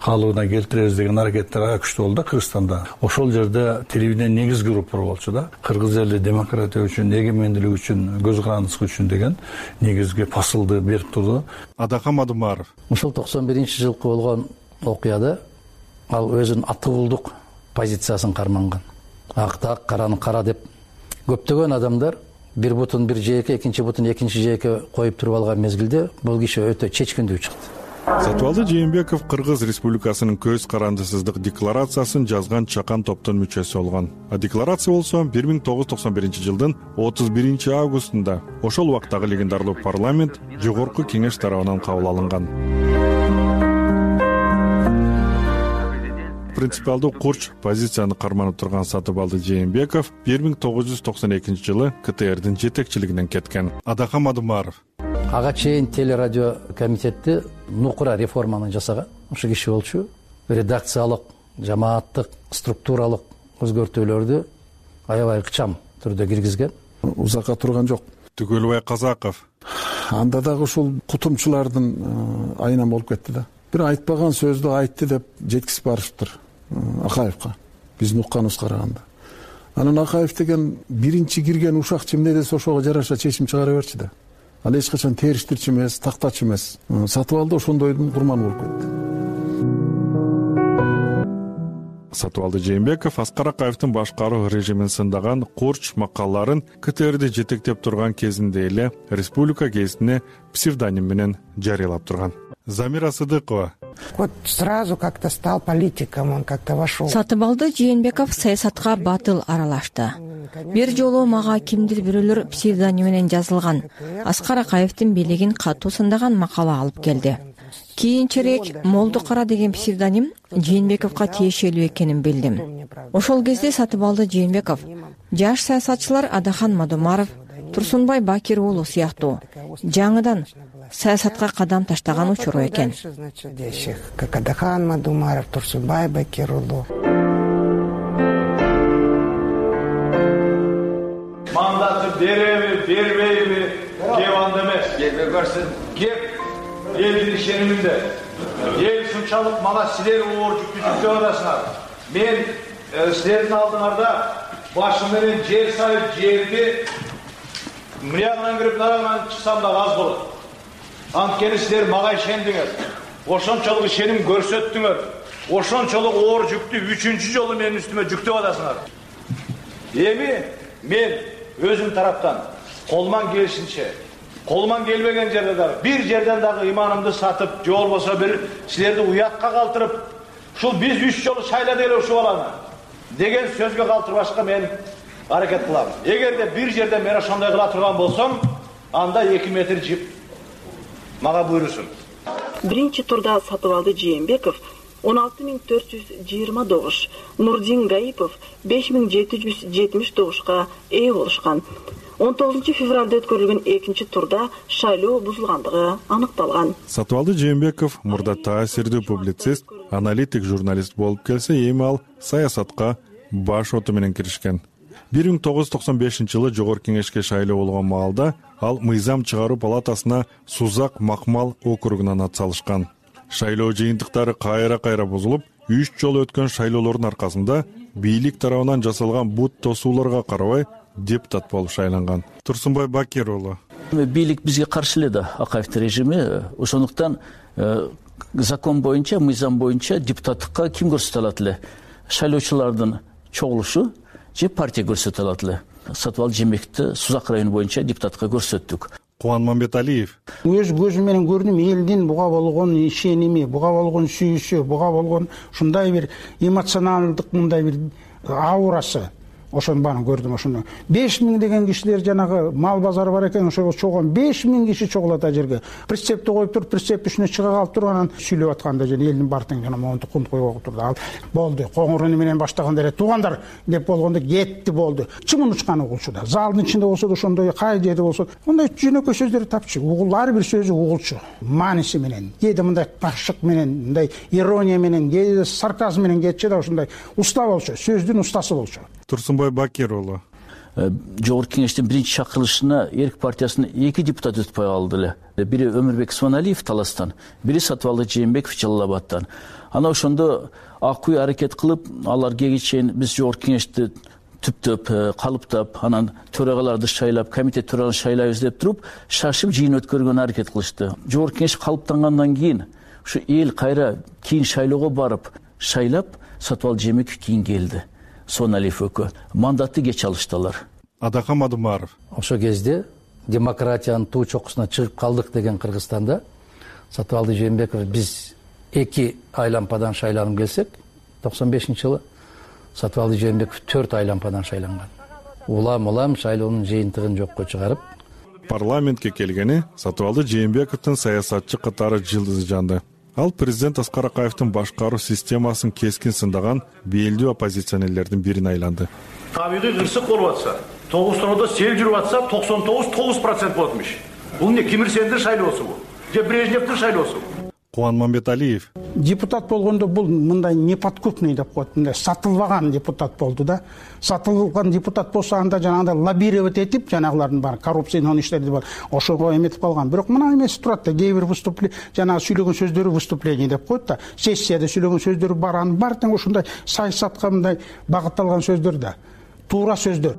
Speaker 18: калыбына келтиребиз деген аракеттер аябай күчтүү болду да Кыргызстанда. Ошол жерде телевидение негизги группа болчу да. Кыргыз эли демократия үчүн, эгемендүүлүк үчүн, көз карандысы үчүн деген негизги посылды берип турду.
Speaker 1: Адакам Адымаров.
Speaker 8: Ушул 91-жылкы болгон окуяда ал өзүнүн атуулдук позициясын карманган. Акты ак, караны кара деп көптөгөн адамдар бир бутун бир жээкке, экинчи бутун экинчи жээкке коюп туруп алган мезгилде бул киши өтө чечкиндүү чыкты.
Speaker 1: Сатыбалды Жээнбеков Кыргыз Республикасынын көз карандысыздык декларациясын жазган чакан топтун мүчөсү болгон. А декларация болсо 1991-жылдын 31-августунда ошол убактагы легендарлуу парламент жогорку кеңеш тарабынан кабыл алынган. Принципиалдуу курч позицияны карманып турган Сатыбалды Жээнбеков 1992-жылы КТРдин жетекчилигинен кеткен. Адакам Адымаров.
Speaker 8: Ага чейин телерадио комитетти нукура реформаны жасаган ошо киши болчу. Редакциялык, жамааттык, структуралык өзгөртүүлөрдү аябай ыкчам түрдө киргизген.
Speaker 16: Узакка турган жок.
Speaker 1: Түгөлбай Казаков.
Speaker 16: Анда дагы ушул кутумчулардын айынан болуп кетти да. Бир айтпаган сөздү айтты деп жеткизип барышыптыр Акаевка. Биздин укканыбызга караганда. Анан Акаев деген биринчи кирген ушакчы эмне десе ошого жараша чечим чыгара берчү да. Ал эч качан териштирчү эмес, тактачы эмес. Сатыбалды ошондойдун курманы болуп кетти.
Speaker 1: Сатыбалды Жээнбеков Аскар Акаевдин башкаруу режимин сындаган курч макалаларын КТРди жетектеп турган кезинде эле республика гезитине псевдоним менен жарыялап турган. Замира Сыдыкова.
Speaker 19: Вот сразу как-то стал политиком, он как-то вошел.
Speaker 21: Сатыбалды Жээнбеков саясатка батыл аралашты. Бир жолу мага кимдир бирөөлөр псевдоним менен жазылган Аскар Акаевдин бийлигин катуу сындаган макала алып келди. Кийинчерээк Молдукара деген псевдоним Жээнбековго тиешелүү экенин билдим. Ошол кезде Сатыбалды Жээнбеков жаш саясатчылар Адахан Мадумаров, Турсунбай Бакир уулу сыяктуу жаңыдан саясатка кадам таштаган учуру экен.
Speaker 19: Как Адахан Мадумаров, Турсунбай Бакир уулу.
Speaker 22: Мандаты береби, бербейби, кеп анда эмес. Келбей көрсүн. Кеп элдин ишениминде. Эл ушунчалык мага силер оор жүктү атасыңар. Мен силердин алдыңарда башым менен жер сайып жерди мыягынан кирип нарагынан чыксам да аз болот. Анткени силер мага ишендиңер. Ошончолук ишеним көрсөттүңөр. Ошончолук оор жүктү 3-чү жолу менин үстүмө жүктөп атасыңар. Эми мен өзүм тараптан колуман келишинче, колуман келбеген жерде дагы бир жерден дагы иманымды сатып, же болбосо бир силерди уятка калтырып, ушул биз 3 жолу шайлады эле ушул баланы деген сөзгө калтырбашка мен аракет кылам. Эгерде бир жерде мен ошондой кыла турган болсом, анда 2 метр жип мага буйрусун.
Speaker 23: Биринчи турда Сатыбалды Жээнбеков 16420 добуш, Нурдин Гаипов 5770 добушка ээ болушкан. 19 февралда өткөрүлгөн экинчи турда шайлоо бузулгандыгы аныкталган.
Speaker 1: Сатыбалды Жээнбеков мурда таасирдүү публицист, аналитик журналист болуп келсе, эми ал саясатка баш оту менен киришкен. 1995-жылы жогорку кеңешке шайлоо болгон маалда ал мыйзам чыгаруу палатасына Сузак Макмал округунан ат салышкан. Шайлоо жыйынтыктары кайра бузулуп, 3 жолу өткөн шайлоолордун аркасында бийлик тарабынан жасалган бут тосууларга карабай депутат болуп шайланган. Турсунбай Бакир уулу.
Speaker 24: Бийлик бизге каршы эле да, Акаевдин режими. Ошондуктан закон боюнча, мыйзам боюнча депутаттыкка ким көрсөтө алат эле? Шайлоочулардын чогулушу же партия көрсөтө алат эле. Сатыбалды Жээнбековду Сузак району боюнча депутатка көрсөттүк.
Speaker 1: Кубан Мамбеталиев.
Speaker 26: Өз көзүм менен көрдүм элдин буга болгон ишеними, буга болгон сүйүүсү, буга болгон ушундай бир эмоционалдык мындай бир аурасы. Ошону баарын көрдүм ошону. 5000 деген кишилер жанагы мал базары бар экен, ошого чогулган 5000 киши чогулат а жерге. Прицепти коюп туруп, прицеп үстүнө чыга калып туруп анан сүйлөп атканда жана элдин бартын жана монту кунт коюп турду. Ал болду. Коңуруну менен баштаганда эле туугандар деп болгондо кетти болду. Чымын учкан угулчу да. Залдын ичинде болсо да ошондой кай жерде болсо, мындай жөнөкөй сөздөр тапчу. Угул ар бир сөзү угулчу. Мааниси менен, кээде мындай ташык менен, мындай ирония менен, кээде сарказм менен кетчү да ошондой уста болчу, сөздүн устасы болчу.
Speaker 1: Турсунбай Бакир уулу.
Speaker 24: жогорку кеңештин биринчи чакырылышына Эрк партиясынын 2 депутаты өтпөй калды эле. Бири Өмүрбек Исманалиев Таластан, бири Сатыбалды Жээнбеков Жалал Абадтан. Ана ошондо акый аракет кылып, алар кээге чейин биз жогорку кеңешти түптөп, калыптап, анан төрагаларды шайлап, комитет төрагаларын шайлайбыз деп туруп, шашып жыйын өткөргөнгө аракет кылышты. Жогорку кеңеш калыптангандан кийин ушу эл кайра кийин шайлоого барып, шайлап Сатыбалды Жээнбеков кийин келди. Соналиев экөө мандатты кеч алышты алар.
Speaker 1: Адакам Адымаров.
Speaker 8: Ошол кезде демократиянын туу чокусуна чыгып калдык деген Кыргызстанда Сатыбалды Жээнбеков биз 2 айлампадан шайланып келсек, 95-жылы Сатыбалды Жээнбеков 4 айлампадан шайланган. Улам шайлоонун жыйынтыгын жокко чыгарып,
Speaker 1: парламентке келгени Сатыбалды Жээнбековдун саясатчы катары жылдызы жанды. Ал президент Аскар Акаевдин башкаруу системасын кескин сындаган белдүү оппозиционерлердин бирин айланды.
Speaker 22: Табигый кырсык болуп атса, 9 тоодо сел жүрүп атса, 99% болотмуш. Бул эмне, Кимирсендин шайлоосу бул? Же Брежневдин шайлоосу?
Speaker 1: Кубан Мамбеталиев.
Speaker 26: Депутат болгондо бул мындай неподкупный деп коет, мындай сатылбаган депутат болду да. Сатылган депутат болсо анда жанагындай лоббировать этип, жанагылардын баары коррупциянын иштерди бар. Ошого эметип калган. Бирок мына эмеси турат да, кээ бир выступление, жанагы сүйлөгөн сөздөрү выступление деп коет да. Сессияда сүйлөгөн сөздөрү бар, анын баары тең ушундай саясатка мындай багытталган сөздөр да. Туура сөздөр.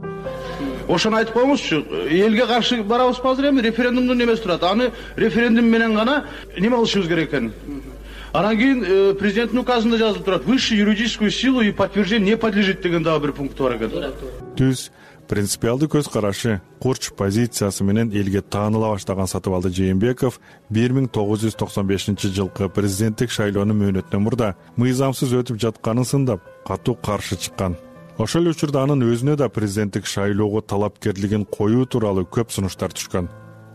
Speaker 22: Ошону айтып коюңузчу, элге каршы барабызбы азыр эми референдумдун эмеси турат. Аны референдум менен гана неме кылышыбыз керек экен. Анан кийин президенттин указында жазылып турат: высшую юридическую силу и подтверждение не подлежит деген дагы бир пункт бар экен.
Speaker 1: Түз принципиалдуу көз карашы, курч позициясы менен элге тааныла баштаган Сатыбалды Жээнбеков 1995-жылкы президенттик шайлоонун мөөнөтүнөн мурда мыйзамсыз өтүп жатканын сындап, катуу каршы чыккан. Ошол учурда анын өзүнө да президенттик шайлоого талапкерлигин коюу тууралуу көп сунуштар түшкөн.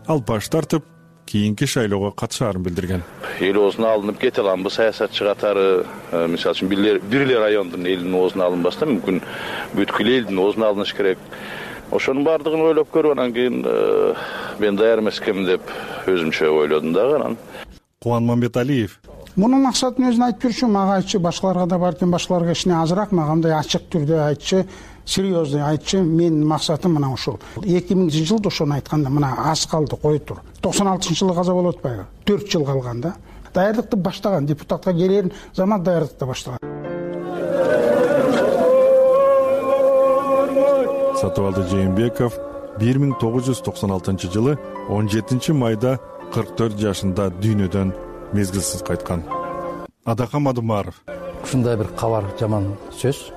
Speaker 1: Ал баш тартып, кийинки шайлоого катышаарын билдирген.
Speaker 3: Эл оозуна алынып кете аламбы саясатчы катары, мисалы үчүн бир эле райондун элинин оозуна алынбастан мүмкүн бүткүл элдин оозуна алыныш керек. Ошонун баардыгын ойлоп көрүп, анан кийин мен даяр эмес экенмин деп өзүмчө ойлодум дагы. Анан
Speaker 1: Кубан Мамбеталиев.
Speaker 26: Мунун максатын өзүн айтып берчү, мага айтчы, башкаларга да баркен, башкаларга кичине азыраак, мага мындай ачык түрдө айтчы, серьезный айтчы. Менин максатым мына ушул. 2000-жылда ошону айтканда мына аз калды, кой тур. 96-жылы каза болуп атпайбы? 4 жыл калган да. Даярдыкты баштаган, депутатка келер заман даярдыкты баштаган.
Speaker 1: Сатыбалды Жээнбеков 1996-жылы 17-майда 44 жашында дүйнөдөн мезгилсиз кайткан. Адакам Адымаров.
Speaker 8: Ушундай бир кабар жаман сөз,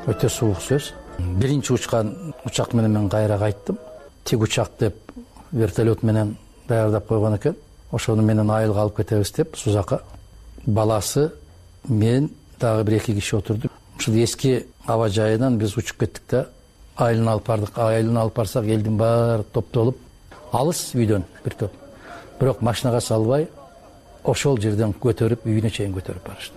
Speaker 8: өтө суук сөз. Биринчи учкан учак менен мен кайра кайттым. Тик учак деп вертолет менен даярдап койгон экен. Ошону менен айылга алып кетебиз деп Сузакка. Баласы, мен дагы бир 2 киши отурдук. Ушул эски аба жайынан биз учуп кеттик да, айылына алып бардык. Айылына алып барсак, элдин баары топтолуп, алыс үйдөн бир топ. Бирок машинага салбай, ошол жерден көтөрүп, үйүнө чейин көтөрүп барышты.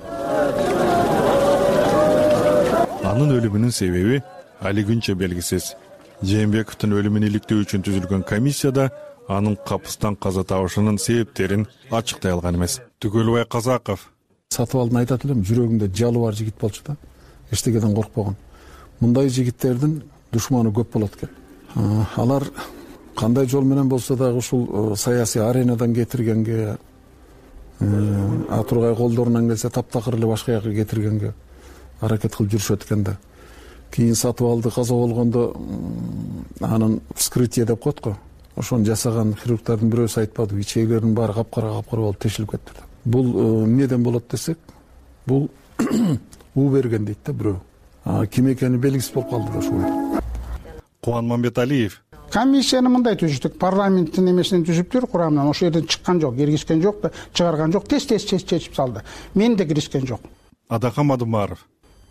Speaker 1: Анын өлүмүнүн себеби али күнчө белгисиз. Жээнбековдун өлүмүн иликтөө үчүн түзүлгөн комиссияда анын капыстан каза табышынын себептерин ачыктай алган эмес. Түгөлбай Казаков.
Speaker 16: Сатыбалдын айтат элем, жүрөгүндө жалы бар жигит болчу да, эчтекеден коркпогон. Мындай жигиттердин душманы көп болот экен. Алар кандай жол менен болсо дагы ушул саясий аренадан кетиргенге, Атургай колдорунан келсе таптакыр эле башка жака кетиргенге аракет кылып жүрүшөт экен да. Кийин Сатыбалды каза болгондо анын вскрытие деп коет го. Ошону жасаган хирургдардын бирөөсү айтпады, ичегилердин баары капкара болуп тешилип кетти. Бул эмнеден болот десек, бул уу берген дейт да бирөө. Ким экени белгисиз болуп калды да ошол.
Speaker 1: Кубан Мамбеталиев.
Speaker 26: Комиссияны мындай түзүштүк, парламенттин эмесинен түзүптүр, курамынан. Ошол жерден чыккан жок, киргизген жок да, чыгарган жок, тез чечип салды. Мен да киришкен жок.
Speaker 1: Адакам Адымаров.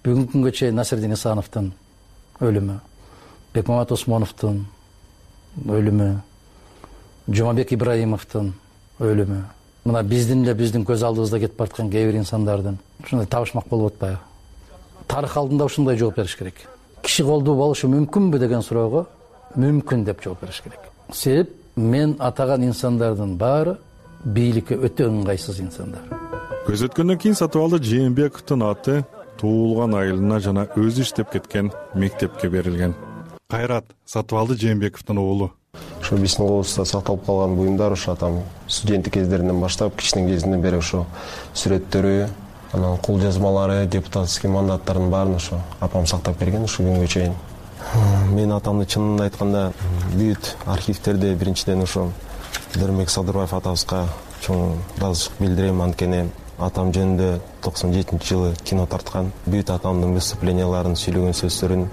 Speaker 8: Бүгүнкү күнгө чейин Насирдин Исановдун өлүмү, Бекмамат Осмоновдун өлүмү, Жумабек Ибраимовдун өлүмү, мына биздин көз алдыбызда кетип бараткан кээ бир инсандардын ушундай табышмак болуп атпайбы? Тарых алдында ушундай жооп бериш керек. Киши колдуу болушу мүмкүнбү деген суроого мүмкүн деп жооп бериш керек. Себеп мен атаган инсандардын баары бийликке өтө ыңгайсыз инсандар.
Speaker 1: Көз өткөндөн кийин Сатыбалды Жээнбековдун аты туулган айылына жана өзү иштеп кеткен мектепке берилген. Кайрат Сатыбалды Жээнбековдун уулу.
Speaker 5: Ошо биздин колубузда сакталып калган буюмдар ошо атам студенттик кездеринен баштап кичинен кезинен бери ошо сүрөттөрү, анан кол жазмалары, депутатский мандаттардын баарын ошо апам сактап келген ушул күнгө чейин. Мен атамды чынын айтканда бүт архивтерде биринчиден ошо Дөрмек Садырбаев атабызга чоң ыраазычылык билдирем, анткени атам жөнүндө 97-жылы кино тарткан. Бүт атамдын выступленияларын, сүйлөгөн сөздөрүн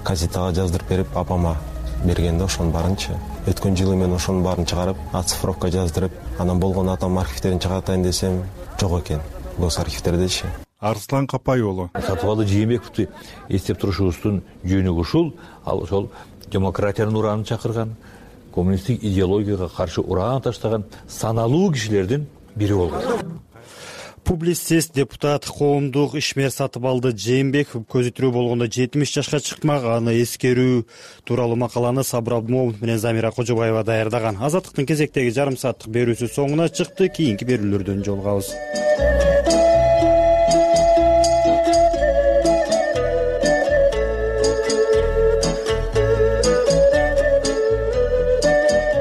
Speaker 5: газетага жаздырып берип, апама берген да ошонун баарынчы. Өткөн жылы мен ошонун баарын чыгарып, оцифровка жаздырып, анан болгон атам архивтерин чыгартайын десем, жок экен. Гос архивтердечи.
Speaker 1: Арслан Капай уулу.
Speaker 17: Сатыбалды Жээнбековду эстеп турушубуздун жөнү ушул. Ал ошол демократиянын ураанын чакырган, коммунисттик идеологияга каршы ураан таштаган саналуу кишилердин бири болгон.
Speaker 2: Публицист, депутат, коомдук ишмер Сатыбалды Жээнбеков көзү тирүү болгондо 70 жашка чыкмак. Аны эскерүү тууралуу макаланы Сабыр Абдымомунов менен Замира Кожобаева даярдаган. Азаттыктын кезектеги жарым сааттык берүүсү соңуна чыкты. Кийинки берүүлөрдөн жолугабыз.